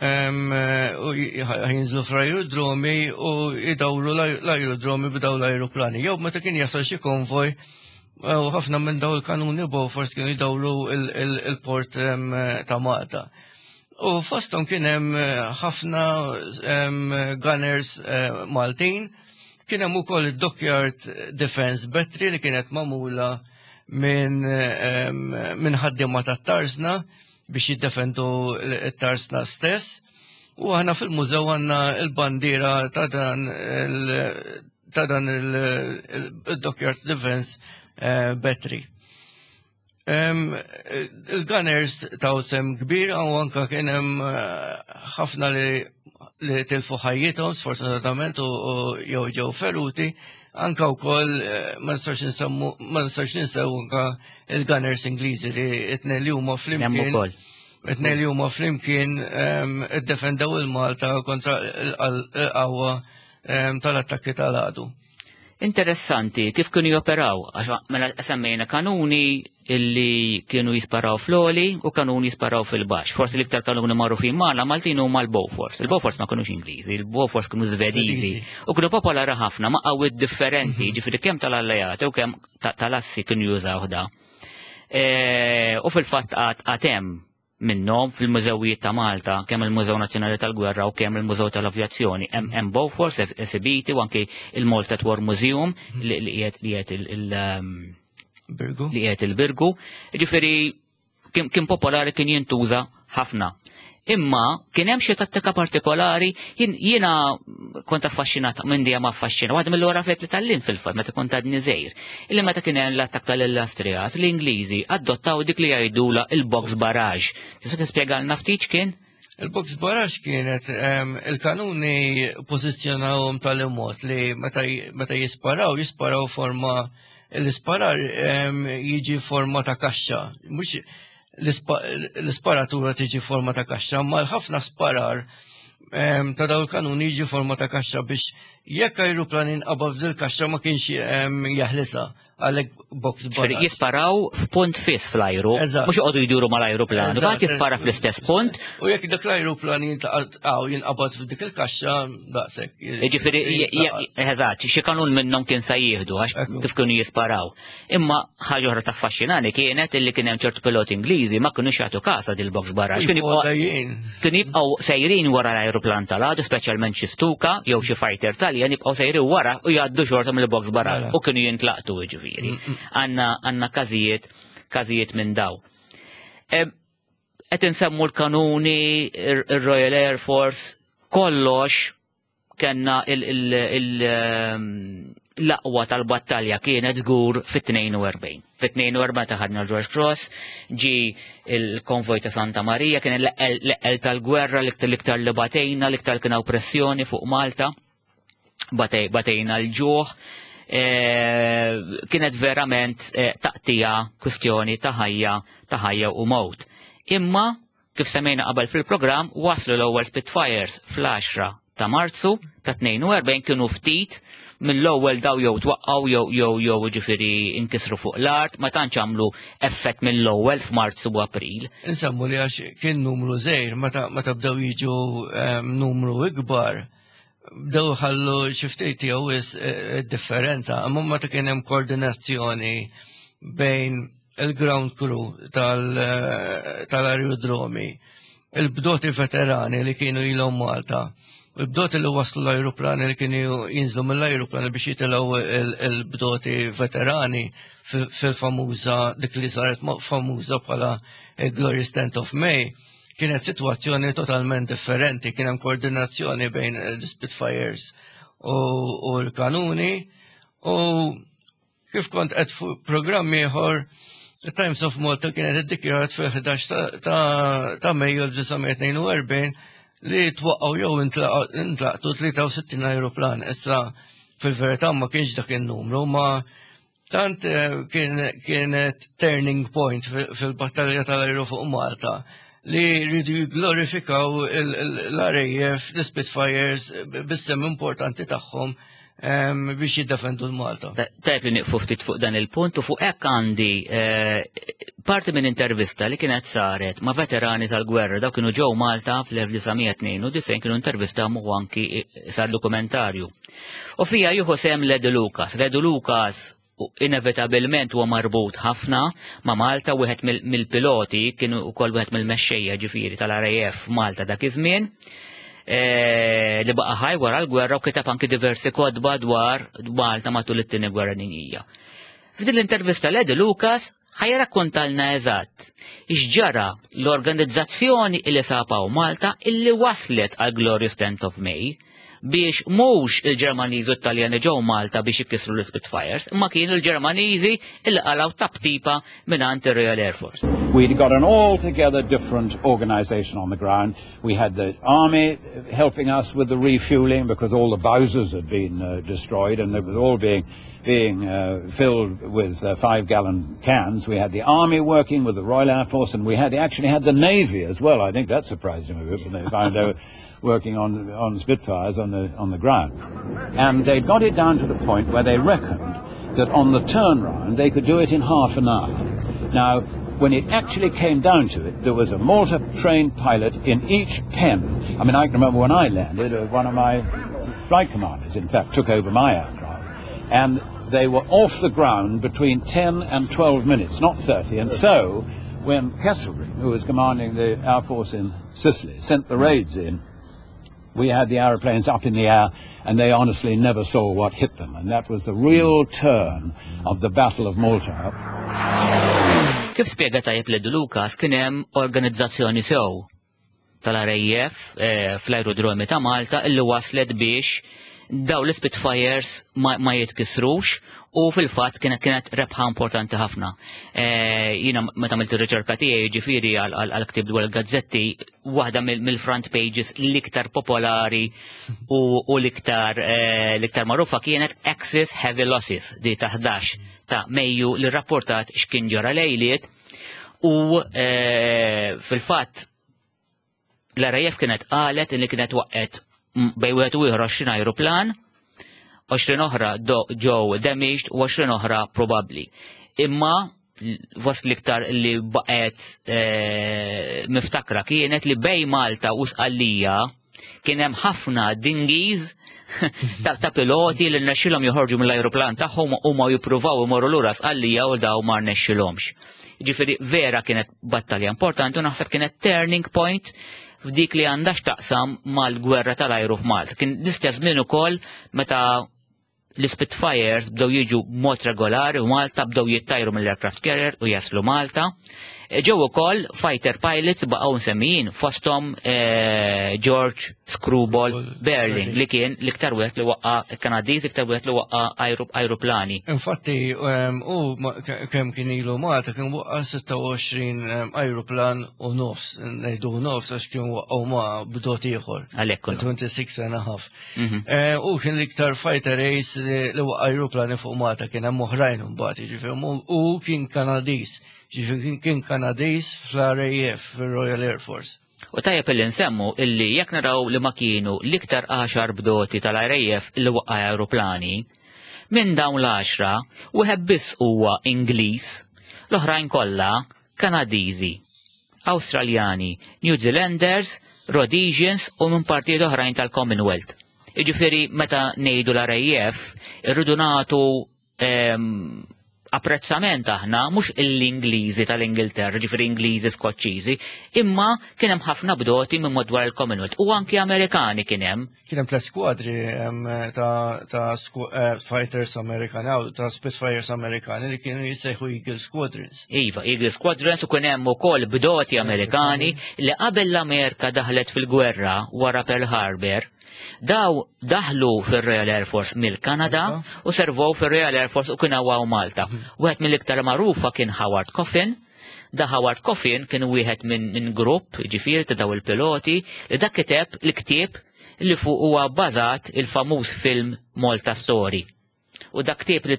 u jinżlu fl-aerodromi u jdawru l-aerodromi b'daw l-ajruplani. Jew meta kien jasal xi konvoj, u ħafna minn daw il-kanuni Bofors kienu jdawru il-port ta' Malta. U fosthom kien hemm ħafna gunners Maltin, kien hemm ukoll id-Dockyard Defence Battery li kienet magħmula minn ħaddiema tat-Tarsna biex jiddefendu t-Tarsna stess. U aħna fil-mużew għandna l-bandiera ta' dan il-Dockyard Defence Battery. Il-Gunners taw sem kbir u anka kien hemm ħafna li tilfu ħajjithom sfortunatament u jew ġew feruti, anka wkoll ma nistax insemmu ma nistax ninsew anka il-Gunners Ingliżi li t-tnejn li huma flimkien. It-tnejn li huma flimkien iddefendew il-Malta kontra l-qawwa tal-attakki tal-għadu. Interessanti kif kienu joperaw, għax mela semmejna kanuni illi kienu jisparaw fl-oli u kanuni jisparaw fil-baxx. Forsi l-iktar kanuni magħrufin magħna Maltin huma l-Bofors. Il-Bofors ma kinux Ingliżi, il-Bofors kienu Svediżi u kienu popolari ħafna ma' qawwiet differenti, ġifieri kemm tal-alleati u kemm tal-assi kienu jużaw da. U fil-fatt għad hemm minnhom fil-mużewijiet ta' Malta, kemm il-Mużew Nazzjonali tal-Gwerra u kemm il-Mużew tal-Avjazzjoni. Hemm Bofors esibiti u anki il-Malta War Museum li qiegħed li qiegħed Birgu. Li qiegħed il-Birgu. Ġifieri kien popolari, kien jintuża ħafna. Imma kien hemm xi tattika partikolari, jiena kont affaxxinat minn dejjem affaxxinat. Waħda mill-ewwel affarijiet li tgħallimt fil-fatt meta kont għadni żgħir, illi meta kien hemm l-attakk tal-Illustrias, l-Ingliżi adottaw dik li jgħidula il-box barrage. Tista' tispjegalna ftit x'kien? Il-box barrage kienet il-kanuni pożizzjonawhom tal-imod li meta jisparaw, jisparaw forma l-isparar jiġi forma ta' kaxxa. Mhux l-isparatura tiġi forma ta' kaxxa, ma l-ħafna sparar ta' daw il-kanuni jiġi forma ta' kaxxa biex jekk ajruplan inqabad f'dil kaxxa ma kienx jaħlisa, għalhekk box barrage. Jisparaw f'punt fiss fl-ajru, mhux joqogħdu jduru mal-ajruplan, mbagħad jispara fl-istess punt. U jekk dak l-ajruplan jinqabad f'dik il-kaxxa daqshekk. Jiġifieri, eżatt, xi kanun minnhom kien sa jieħdu għax kif kienu jisparaw. Imma ħaġa oħra taffaxxinani kienet illi kien hemm ċertu piloti Ingliżi ma kinux jagħtu kas għad il-box barrage. Kienu jibqgħu sejrin wara l-ajruplan tal-għadu, speċjalment xi Stuka jew xi fighter Taljan jibqgħu sejrin wara u jgħaddu xorta mill-box barrage u kienu jintlaqtu jiġifieri. Għandna każijiet minn daw. Qed insemmu l-kanuni, ir-Royal Air Force, kollox kellna l-aqwa tal-battalja kienet żgur fit-42. Fit-42 taħadna l-George Cross, ġi il-konvoj ta' Santa Marija, kien l-eqqel tal-gwerra, l-iktar li batejna, l-iktar kien hawn pressjoni fuq Malta, batejna l-ġuħ. Kienet verament taqtija kwistjoni ta' ħajja, ta' ħajja u mewt. Imma, kif semmejna qabel fil-programm, waslu l-ewwel Spitfires fl-10 ta' Marzu ta' 42, kienu ftit mill-ewwel daw jew twaqqgħu jew jew jiġifieri inkisru fuq l-art, ma tantx għamlu effett mill-ewwel f'Marzu u April. Insemmu li għax kien numru żgħir, meta bdew jiġu numru ikbar, bdew ħallu xi ftit jew is differenza, imma meta kien hemm koordinazzjoni bejn il-ground crew tal-aerodromi, il-bdoti veterani li kienu ilhom Malta. Il-bdoti li waslu l-ajruplani li kienu jinżlu mill-ajruplani biex jitilgħu il-bdoti veterani fil-famuża dik li saret famuża bħala Glorious 10th of May, kienet situazzjoni totalment differenti, kien hemm koordinazzjoni bejn l-Spitfires u l-kanuni u kif kont qed fuq programm ieħor Times of Malta kienet iddikjarat fil-11 ta' Mejju 1942 li twaqqgħu jew intlaqtu 63 ajruplan. Issa fil-verità ma kienx dak in-numru, ma tant kienet turning point fil-battalja tal-ajru fuq Malta li rridu jigglorifikaw l-RAF, l-Spitfires, bis-sehem importanti tagħhom biex jiddefendu l-Malta. Tajb li nieqfu ftit fuq dan il-punt u fuq hekk għandi parti minn intervista li kienet saret ma' veterani tal-gwerra daw kienu ġew Malta fl-1992 kienu intervista u anki sar dokumentarju. U fija jieħu sehem Ledu Lucas. Ledu Lucas inevitabilment huwa marbut ħafna ma' Malta, wieħed mill-piloti kienu wkoll wieħed mill-mexxejja ġifieri tal-RAF Malta dak iż-żmien. Li baqa' ħaj wara l-gwerra u kitab anki diversi kotba dwar Malta matul it-tieni gwerra dinjija. F'din l-intervista Lady Lucas ħa jirrakkontalna eżatt x'ġara l-organizzazzjoni li sapaw Malta illi waslet għal Glorious 10th of May biex mhux il-Ġermaniżi u t-Taljani ġew Malta biex ikissru l-Spitfires, imma kienu l-Ġermaniżi illi qalgħu taptipa mingħand ir-Royal Air Force. We'd got an altogether different organization on the ground. We had the army helping us with the refueling because all the bowsers had been destroyed and they was all being filled with 5-gallon cans. We had the army working with the Royal Air Force, and we had actually had the Navy as well. I think that surprised him a bit when they found they were working on Spitfires on the ground. And they got it down to the point where they reckoned that on the turnaround they could do it in half an hour. Now, when it actually came down to it, there was a Malta-trained pilot in each pen. I mean, I can remember when I landed, one of my flight commanders, in fact, took over my aircraft, and they were off the ground between 10 and 12 minutes, not 30. And so, when Kesselring, who was commanding the Air Force in Sicily, sent the raids in, we had the aeroplanes up in the air, and they honestly never saw what hit them. And that was the real turn of the Battle of Malta. Kif spjega tajjeb Ledu Lucas, kien hemm organizzazzjoni sew tal-RAF fl-aerodromi ta' Malta illi waslet biex daw l-Spitfires ma jitkisrux u fil-fatt kienet rebħa importanti ħafna. Jiena meta għamilt ir-riċerka tiegħi ġifieri għal ktib dwar il-gazzetti, waħda mill-front pages l-iktar popolari u l-iktar magħrufa kienet Axis Heavy Losses di ta' 11 ta' Mejju li rapportat x'kien ġara lejliet u fil-fatt l-RAF kienet qalet li kienet waqqet bej wieħed u ieħor 20 ajruplan, 20 oħra ġew damaged u 20 oħra probabbli. Imma fost l-iktar li baqgħet miftakra kienet li bej Malta u Sqallija kien hemm ħafna dinghies ta' piloti li rnexxilhom joħorġu mill-ajruplan tagħhom u ma jippruvaw imorru lura Sqallija u daw ma rnexxilhomx. Ġifieri vera kienet battalja importanti u naħseb kienet turning point f'dik li għandha x'taqsam mal-gwerra tal-ajru f'Malta. Kien l-istess żmien ukoll meta l-Spitfires bdew jiġu b'mod regolari u Malta bdew jittajru mill-aircraft carrier u jaslu Malta. Ġew ukoll fighter pilots baqgħu nsemmijin fosthom George Screwball Beurling li kien l-iktar wieħed li waqqa' Kanadiż, l-iktar wieħed li waqqa' ajruplani. Infatti, u kemm kien ilu Malta kien waqqa' 26 ajruplan u nofs, ngħidu nofs għax kien waqqgħu ma' bdot ieħor. Għalhekk kollu. 26 and a half. U kien l-iktar fighter ace li waqqa' ajruplani fuq Malta, kien hemm oħrajn imbagħad, jiġifieri, u kien Kanadiż. Ġifieri kien Kanadiż fl-RAF, fil-Royal Air Force. U tajjeb illi nsemmu illi jekk naraw li ma kienu l-iktar 10 bdoti tal-RAF li waqqa' aeroplani, minn dawn l-10 wieħed biss huwa Ingliż, l-oħrajn kollha Kanadiżi, Awstraljani, New Zealanders, Rhodesians u minn partijiet oħrajn tal-Commonwealth. Jiġifieri meta ngħidu l-RAF irridu nagħtu apprezzament aħna mhux l-Ingliżi tal-Ingilterra, ġifieri Ingliżi Skoċċiżi, imma kien hemm ħafna bdoti minn madwar il-Commonwealth u anki Amerikani kien hemm. Kien hemm tliet skwadri ta', ta eh, fighters Amerikani, ta' Spitfires Amerikani li kienu jissejħu Eagle Squadrons. Iva, Eagle Squadrons u kien hemm ukoll bdoti Amerikani li qabel l-Amerika daħlet fil-gwerra wara Pearl Harbor, Daw daħlu fir-Royal Air Force mill-Kanada u servow fir-Royal Air Force u kien hawn Malta. Mhm. Wieħed mill-iktar magħrufa kien Howard Coffin. Da Howard Coffin kien wieħed minn min grupp ġifier ta' daw il-piloti li dak kiteb l-ktieb li fuq huwa bbażat il-famuż film Malta Story. U dak ktieb li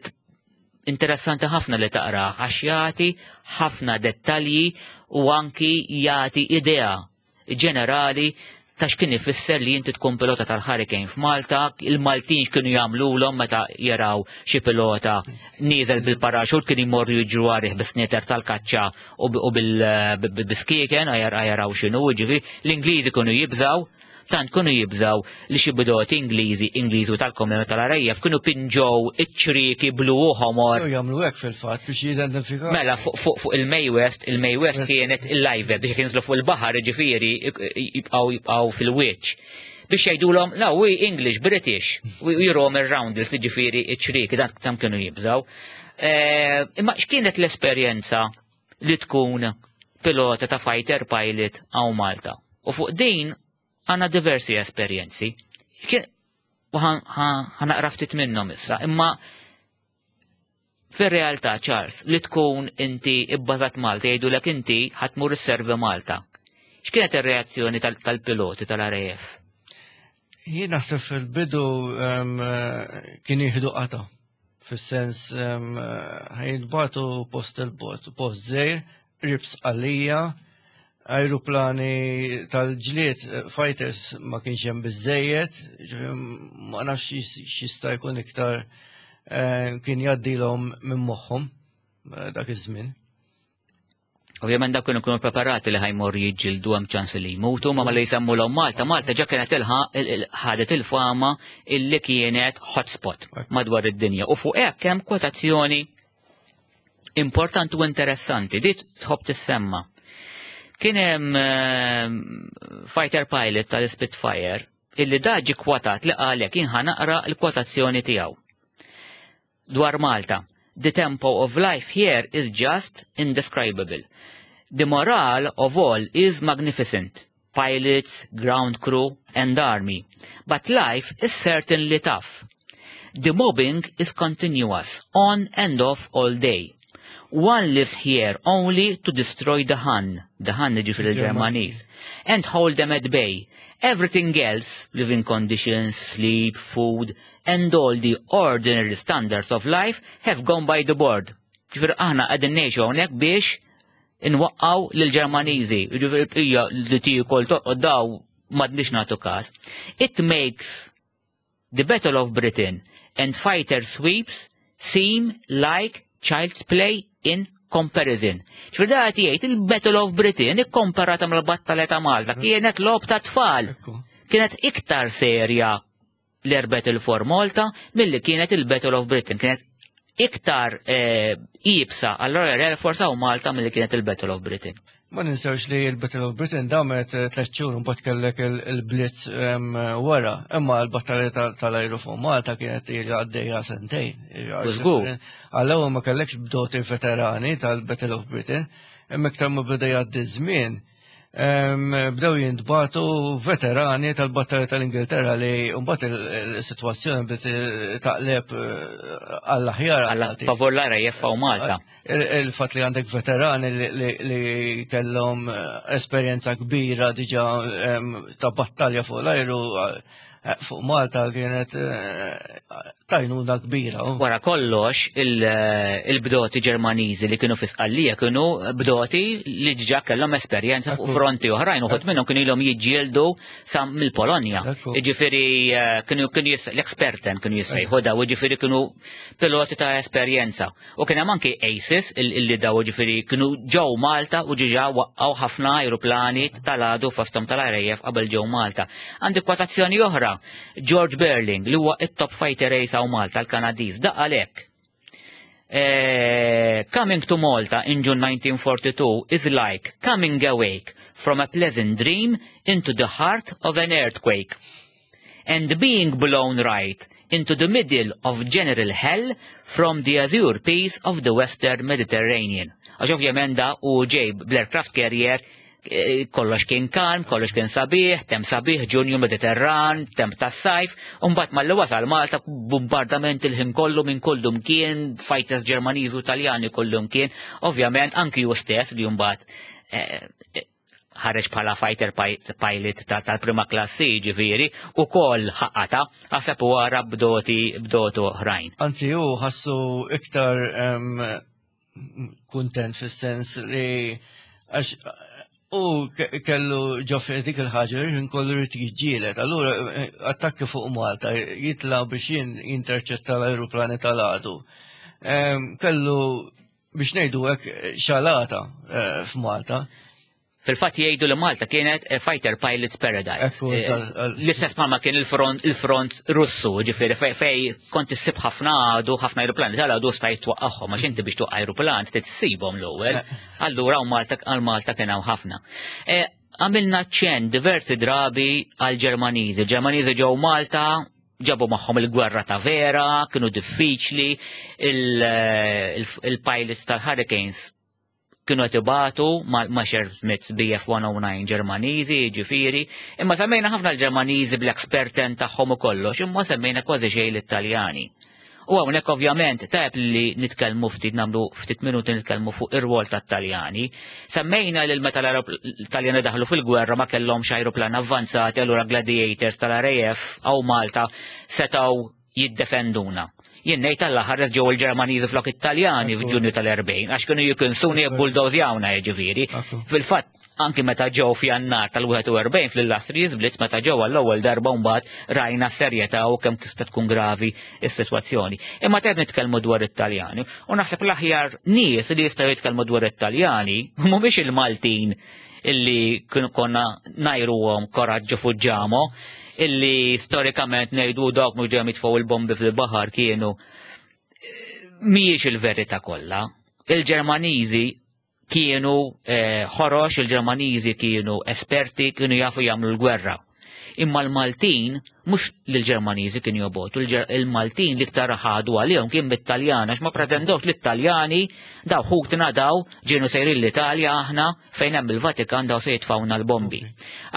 interessanti ħafna li taqra għax jagħti ħafna dettalji u anki jagħti idea ġenerali ta' x'kien ifisser li inti tkun pilota tal-Hurricane f'Malta, il-Maltin x'kienu jagħmlulhom meta jaraw xi pilota nieżel bil-paraxut kien jmorru jiġru għarih bis-snieter tal-kaċċa u bil-biskieken jaraw x'inhu, ġifieri l-Ingliżi kienu jibżaw tant kienu jibżaw li xi bidoti Ingliżi, Ingliżi u tal-Komunità tal-RAF kienu pinġow iċ-ċrieki blu u ħomor. Jagħmlu hekk fil-fatt biex jidentifikaw. Mela fuq fuq il-May West, il-May West kienet il-live biex kienu fuq il-baħar ġifieri jibqgħu jibqgħu fil-wiċċ. Biex jgħidulhom, no, we English, British, u jirom ir-roundels ġifieri iċ-ċrieki dan tam kienu jibżaw. Eh, imma x'kienet l-esperjenza li tkun pilota ta' fighter pilot hawn Malta? U fuq din għandna diversi esperjenzi. U ħanaqra ftit minnhom issa, imma fir-realtà Charles li tkun inti ibbażat Malta jgħidulek inti ħatmur isservi Malta. X'kienet ir-reazzjoni tal-piloti tal-RAF? Jien naħseb fil-bidu kien jieħdu qata. Fis-sens ħajnbatu post il-bot, post żejr, ribs għalija, ajruplani tal-ġlied eh, fighters ma kienx hemm biżejjed, ma nafx x'jista' jkun iktar eh, kien jgħaddilhom minn moħħhom eh, dak iż-żmien. Ovvjament dak kienu kienu preparati li ħajmor jiġġieldu hemm ċans li jmutu, ma li jsemmu l Malta, Malta ġa kienet ħadet il-fama illi kienet hotspot madwar id-dinja. U fuq hekk hemm kwotazzjoni importanti u interessanti, di tħobb tissemma. Kien hemm eh, fighter pilot tal-Spitfire illi da ġi kwotat li qalek jien naqra l-kwotazzjoni tiegħu. Dwar Malta, the tempo of life here is just indescribable. The morale of all is magnificent. Pilots, ground crew, and army. But life is certainly tough. The mobbing is continuous, on and off all day. One lives here only to destroy the Hun, the Hun ġifieri il-Ġermaniż, and hold them at bay. Everything else, living conditions, sleep, food, and all the ordinary standards of life have gone by the board. Ġifieri aħna qegħdin ngħixu hawnhekk biex inwaqqaw lill-Ġermaniżi, ġifieri hija li tiekol toqgħod daw m'għadniex nagħtu każ. It makes the Battle of Britain and fighter sweeps seem like child's play in comparison. ċfir da jgħid il-Battle of Britain ikkomparata mal-battalja ta' Malta kienet logħob ta' tfal. Kienet iktar serja l-Air Battle for Malta milli kienet il-Battle of Britain. Kienet iktar eh, iebsa għall-Royal Air Force hawn Malta milli kienet il-Battle of Britain. Ma ninsewx li l-Battle of Britain damet eh, tliet xhur mbagħad kellek il-Blitz wara, imma l-battalja tal-ajru fuq Malta kienet ilha għaddejja sentejn. Żgur. Għall-ewwel ma kellekx bdoti veterani tal-Battle of Britain, imma iktar ma beda jgħaddi żmien, bdew jintbatu veterani tal-battalja tal-Ingilterra li mbagħad il-sitwazzjoni bdiet taqleb eh, għall-aħjar. Għalla favor l-RAF u Malta. Il-fatt li għandek veterani li kellhom eh, esperjenza kbira diġà ta' battalja fuq l-ajru eh, fuq Malta kienet tajnuna kbira. Wara kollox, il-bdoti Ġermaniżi li kienu fi Sqallija kienu bdoti li ġa kellhom esperjenza fuq fronti oħrajn, uħud minnhom kienu ilhom jiġġieldu sa mill-Polonja. Jiġifieri eh, kienu kienu l-experten kienu jissejħu daw, jiġifieri kienu piloti ta' esperjenza. U kien hemm anki ACES illi daw ġifieri kienu ġew Malta u ġiġa waqqgħu ħafna ajruplani tal-għadu fosthom tal-RAF qabel ġew Malta. Għandi kwotazzjoni oħra, George Berling li huwa it-top fighter ace hawn Malta l-Kanadiż, da għalhekk. Coming to Malta in June 1942 is like coming awake from a pleasant dream into the heart of an earthquake and being blown right into the middle of general hell from the azure peace of the western Mediterranean. Għax ovvjament da u ġej bl-aircraft carrier kollox kien kalm, kollox kien sabiħ, temp sabiħ, Ġunju Mediterran, temp tas-sajf, u mbagħad malli wasal Malta bombardament il-ħin kollu minn kullu mkien, fighters Ġermaniżi u Taljani kullu mkien, ovvjament anki hu stess li mbagħad ħareġ bħala fighter pilot tal-prima klassi ġifieri u koll ħaqqata għaseb u għara bdoti bdotu oħrajn. Anzi hu ħassu iktar kuntent fis-sens li għax u kellu ġo dik il-ħaġa li kollu rrid jiġġieled. Allura eh, attakki fuq Malta jitla biex jien jinterċetta l-ajruplani tal-għadu. Kellu biex ngħidu hekk xalata eh, f'Malta. Fil-fatt jgħidu li Malta kienet a fighter pilot's paradise. Eh, l-istess ma kien il-front il-front Russu, ġifieri fej kont issib ħafna għadu, ħafna ajruplani tal-għadu stajt twaqqagħhom għax inti biex tuqqa ajruplan trid issibhom l-ewwel. Eh. Allura u Malta għal Malta kien hawn ħafna. Eh, għamilna ċen diversi drabi għal Ġermaniżi. Ġermaniżi ġew Malta ġabu magħhom il-gwerra ta' vera, kienu diffiċli, il-pilots tal-Hurricanes kienu qed ibatu ma' Shermits BF-109 Ġermaniżi, jiġifieri, imma semmejna ħafna l-Ġermaniżi bl-experten tagħhom u kollox, imma semmejna kważi xejn l-Italjani. U hawnhekk ovvjament tajjeb li nitkellmu ftit nagħmlu ftit minuti nitkellmu fuq ir-rwol tat-Taljani. Semmejna li meta l-Taljani daħlu fil-gwerra ma kellhomx ajruplan avvanzati allura Gladiators tal-RAF hawn Malta setgħu jiddefenduna. Jien ngħid Alla ħares ġew il-Ġermaniżi flok it-Taljani f'Ġunju tal-40 għax kienu jikinsuni jibbuldozjawna jiġifieri. Fil-fatt anki meta ġew f'Jannar tal-41 fl-Illustrious Blitz meta ġew għall-ewwel darba mbagħad rajna serjetà u kemm tista' tkun gravi s-sitwazzjoni. Imma qed nitkellmu dwar it-Taljani u naħseb l-aħjar nies li jistgħu jitkellmu dwar it-Taljani mhumiex il-Maltin illi kienu konna najruhom koraġġu fuġġamo, illi storikament ngħidu dawk mhux dejjem jitfgħu il-bombi fil-baħar kienu mhijiex il-verità kollha. Il-Ġermaniżi kienu eh, ħorox, il-Ġermaniżi kienu esperti, kienu jafu jagħmlu l-gwerra. Imma l-Maltin, mhux l-Ġermaniżi kienu jobotu, il-Maltin l-iktar ħadu għalihom kien bit-Taljan, għax ma pretendewx li t-Taljani daw ħutna daw ġienu sejrin l-Italja aħna fejn hemm il-Vatikan daw se jitfawna l-bombi.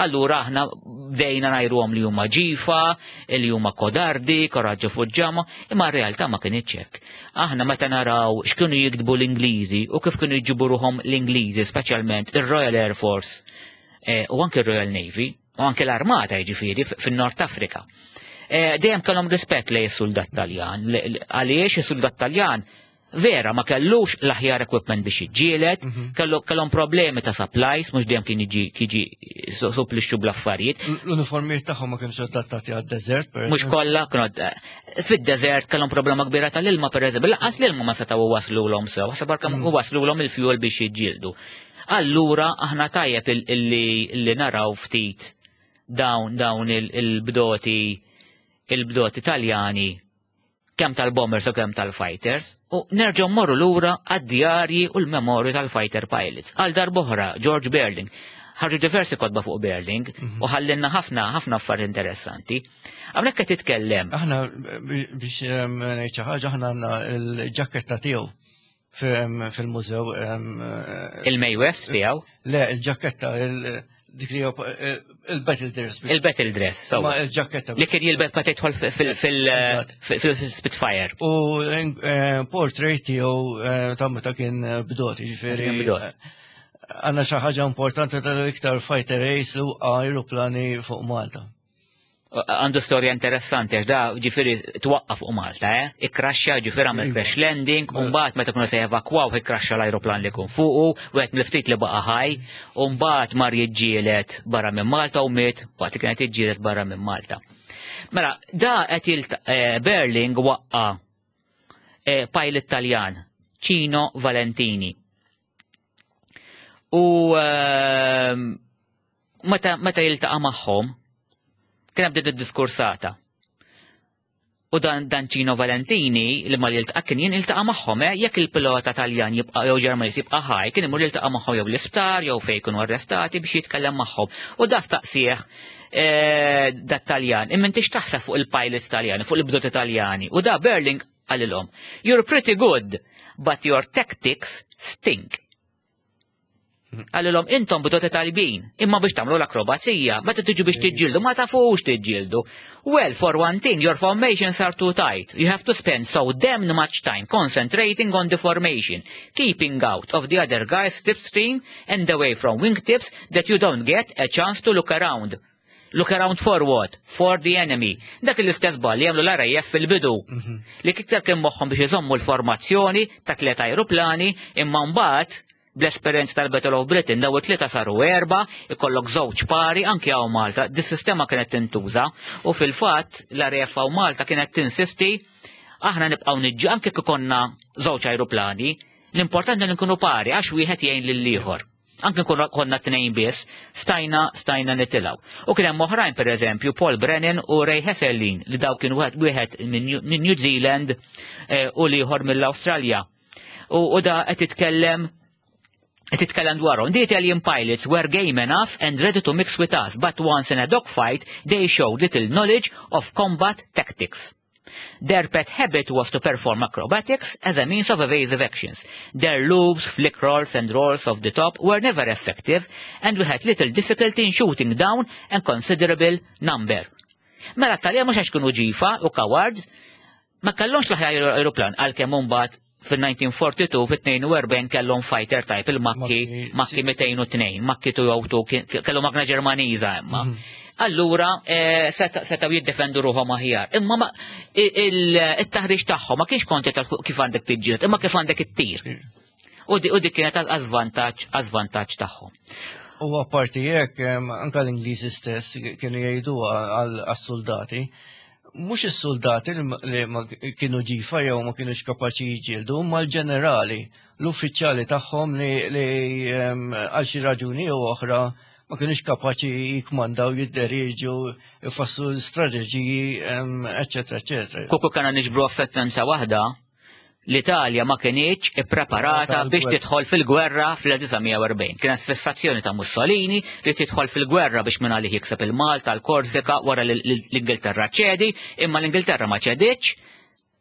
Allura aħna bdejna ngħiruhom li huma ġifa, li huma kodardi, koraġġu fuġġama, imma r-realtà ma kinitx hekk. Aħna meta naraw x'kienu jiktbu l-Ingliżi u kif kienu jġibu ruħhom l-Ingliżi, speċjalment ir-Royal Air Force eh, u anke r-Royal Navy, u anke l-armata jiġifieri fin-Nord Afrika. Eh, dejjem kellhom rispett lejn is-suldat Taljan, għaliex is-suldat Taljan vera ma kellux l-aħjar equipment biex jiġġieled, mhm. kellhom problemi ta' supplies, mhux dejjem kien jiġi jiġi supplixxu bl-affarijiet. L-uniformijiet tagħhom ma kienx adattati għad-deżert, per Mhux kollha kienu eh, fid-deżert kellhom problema kbira tal-ilma pereżempju, lanqas l-ilma ma setgħu waslulhom sew, ħaseb kemm mhm. waslulhom il-fuel biex jiġġieldu. Allura aħna tajjeb illi naraw ftit dawn dawn il-bdoti il-bdoti Taljani kemm tal-bombers u kemm tal-fighters u nerġgħu mmorru lura għad-djarji u l-memorji tal-fighter pilots. Għal darb'oħra George Berling ħarġu diversi kotba fuq Berling mhm. u ħallinna ħafna ħafna affarijiet interessanti. Hawnhekk qed titkellem. Aħna biex ehm, ngħid xi ħaġa aħna għandna l-ġaketta tiegħu fil-mużew. Eh, Il-May West tiegħu? Le, il-ġaketta, dik li il-battle dress. Il-battle dress, so. Ma il-ġaketta. Li kien jilbes ma tidħol fil-Spitfire. U eh, portrait tiegħu eh, ta' meta kien bdot, ġifieri. Għandna xi ħaġa importanti tal-iktar fighter ace u aeroplani fuq Malta. Għandu storja interessanti, għax da ġifiri twaqqaf fuq Malta, eh? Ikkraxxa ġifiri għamel iva. crash landing, u mbagħad meta kienu se jevakwaw ikkraxxa l-ajruplan li jkun fuqu, u qed mill-ftit li baqa' ħaj, u mbagħad mar jiġġieled barra minn Malta u miet waqt li kienet jiġġieled barra minn Malta. Mela, da qed jilt eh, Berling waqqa eh, pilot Taljan, Cino Valentini. U ehm, meta meta jiltaqa' magħhom, kien hemm din id-diskursata. U dan dan Cino Valentini li mal jiltaqa' kien jien iltaqa' magħhom, eh, jekk il-pilota Taljan jibqa' jew Ġermaniż jibqa' ħaj, kien imur jiltaqa' magħhom jew l-isptar jew fejn jkunu arrestati biex jitkellem magħhom. U da staqsih eh, dat Taljan, imma intix taħseb fuq il-pilots Taljani, fuq il-bdoti Taljani. U da Berling qalilhom, you're pretty good, but your tactics stink. Għalilhom intom bidoti talbin, imma biex tagħmlu l-akrobazija, meta tiġu biex tiġġieldu ma tafux tiġġieldu. Well, for one thing, your formations are too tight. You have to spend so damn much time concentrating on the formation, keeping out of the other guys' slipstream and away from wingtips that you don't get a chance to look around. Look around for what? For the enemy. Dak l-istess ball li jagħmlu l-RAF fil-bidu. Li iktar kien moħħhom biex iżommu l-formazzjoni ta' tliet ajruplani imma mbagħad bl-esperjenza tal-Battle of Britain daw it-tlieta saru erba, ikollok żewġ pari anke hawn Malta. Dis-sistema kienet tintuża u fil-fatt l-RAF hawn Malta kienet tinsisti aħna nibqgħu niġġu anke kif konna żewġ ajruplani, l-importanti li nkunu pari għax wieħed jgħin lil ieħor. Anke nkunu konna tnejn biss, stajna stajna nitilgħu. U kien hemm oħrajn pereżempju Paul Brennan u Ray Hesselin li daw kien wieħed minn New Zealand eh, u l-ieħor mill-Awstralja. U da qed titkellem qed titkellem dwarhom. The Italian pilots were game enough and ready to mix with us, but once in a dogfight they showed little knowledge of combat tactics. Their pet habit was to perform acrobatics as a means of evasive actions. Their loops, flick rolls and rolls off the top were never effective and we had little difficulty in shooting down a considerable number. Mela t-Taljan mhux għax kienu ġifa u cowards, ma kellhomx l-aħjar aeroplan għalkemm imbagħad fil-1942 fit-42 kellhom fighter type il-Macchi Macchi 202, Macchi 202 kellhom magna Ġermaniża imma. Allura eh, setgħu jiddefendu ruħhom aħjar. Imma il-taħriġ tagħhom ma kienx konti tal kif għandek tiġġieled, imma kif għandek ittir. U dik kienet għażvantaġġ għażvantaġġ tagħhom. U apparti hekk, anka l-Ingliżi stess kienu jgħidu għas-soldati, mhux is-soldati li ma kienu ġifa jew ma kienux kapaċi jiġġieldu, imma l-ġenerali, l-uffiċjali tagħhom li għal xi raġuni jew oħra ma kienux kapaċi jikmandaw, jidderieġu, jfasslu l-istrateġiji, eċetera, eċetera. Kuku kana niġbru f'sentenza waħda, l-Italja ma kinitx ippreparata biex tidħol fil-gwerra fl-1940. Kienet fissazzjoni ta' Mussolini li tidħol fil-gwerra biex minn għalih jikseb il-Malta, l-Korsika, wara l-Ingilterra ċedi, imma l-Ingilterra ma ċediċ.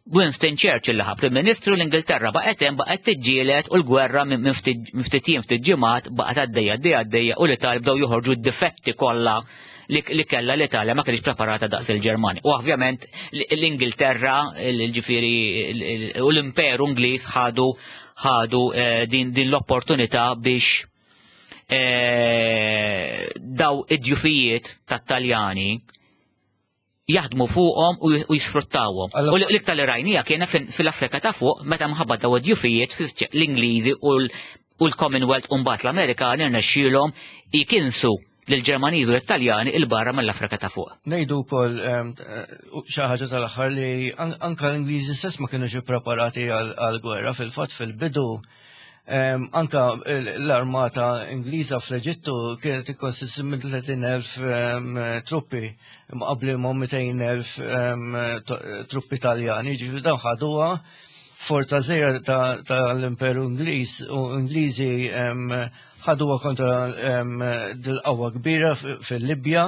Winston Churchill li ħa Prim Ministru l-Ingilterra baqgħet hemm baqgħet tiġġieled u l-gwerra minn ftit jiem ftit ġimgħat baqgħet għaddejja għaddejja għaddejja u l-Italja bdew joħorġu d-difetti kollha li kellha l-Italja ma kienx preparata daqs il-Ġermanja. U ovvjament l-Ingilterra, ġifieri u l-Imperu Ingliż ħadu ħadu eh, din, din l-opportunità biex eh, daw id-djufijiet tat-Taljani jaħdmu fuqhom u jisfruttawhom. U l-iktar li rajnija kienet fil-Afrika ta' fuq meta mħabba daw id-djufijiet l-Ingliżi u l-Commonwealth u mbagħad l-Amerikani rnexxielhom jikinsu lill-Ġermaniżi u l-Taljani 'il barra mill-Afrika ta' fuq. Ngħidu wkoll ehm, eh, xi ħaġa tal-aħħar li anka l-Ingliżi stess ma kinux ippreparati għall-gwerra fil-fatt fil-bidu ehm, anka l-armata Ingliża fl-Eġittu kienet tikkonsisti minn 30,000 ehm, truppi qabli ma' 200,000 truppi Taljani, ġifieri dawn ħaduha forza żgħira tal-Imperu Ingliż u Ingliżi ħaduha kontra dil-qawwa kbira fil-Libja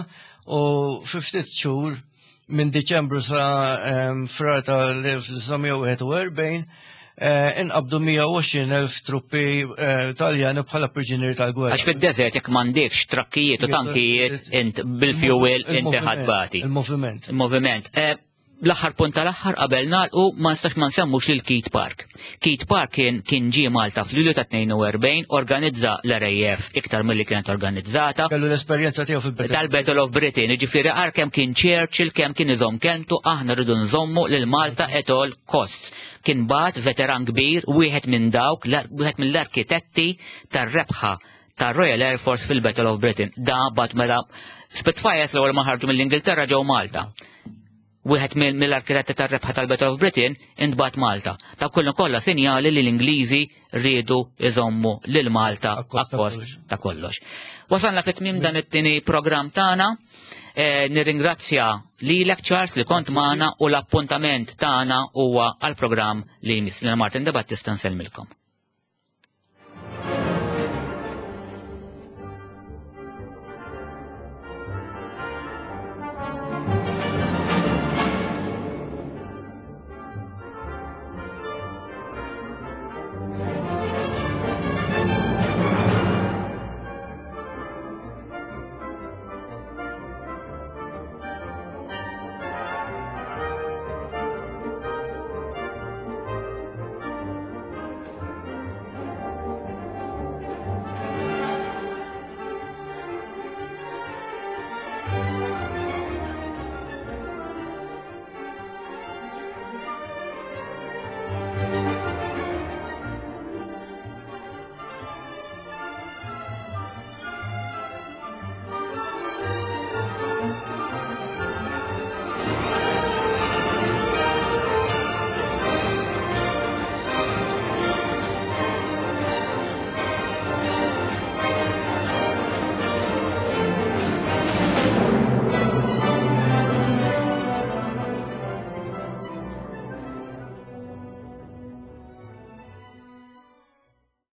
u fi ftit xhur minn Diċembru sa frar tal-1941 eh, inqabdu 120.000 truppi eh, Taljani bħala priġunieri tal-gwerra. Għax fid-desert jekk m'għandekx trakkijiet u tankijiet int bil-fuel inti ħadbati. Il-moviment. Il-moviment. Eh, l-aħħar punt tal-aħħar qabel nagħlqu ma nistax ma nsemmux lil Keith Park. Keith Park kien kien ġie Malta f'Lulju ta' 42 organizza l-RAF iktar milli kienet organizzata. Kellu l-esperjenza tiegħu fil-Battle. Tal-Battle of Britain, jiġifieri għar kemm kien Churchill kemm kien iżomm kelmtu aħna rridu nżommu lil Malta at all costs. Kien bagħat veteran kbir wieħed minn dawk wieħed mill-arkitetti tar-rebħa tar-Royal Air Force fil-Battle of Britain. Da bat mela Spitfires l-ewwel ma ħarġu mill-Ingilterra ġew Malta. Wieħed mill-arkitetti tar-rebħa tal-Battle of Britain intbagħat Malta. Ta' kullu kollha sinjali li l-Ingliżi riedu iżommu lil Malta akkost ta' kollox. Wasalna fit tmiem dan it-tieni programm tagħna. Eh, nirringrazzja lilek Charles li kont magħna u l-appuntament tagħna huwa għall-programm li jmiss. Martin De Battista nsellmilkom.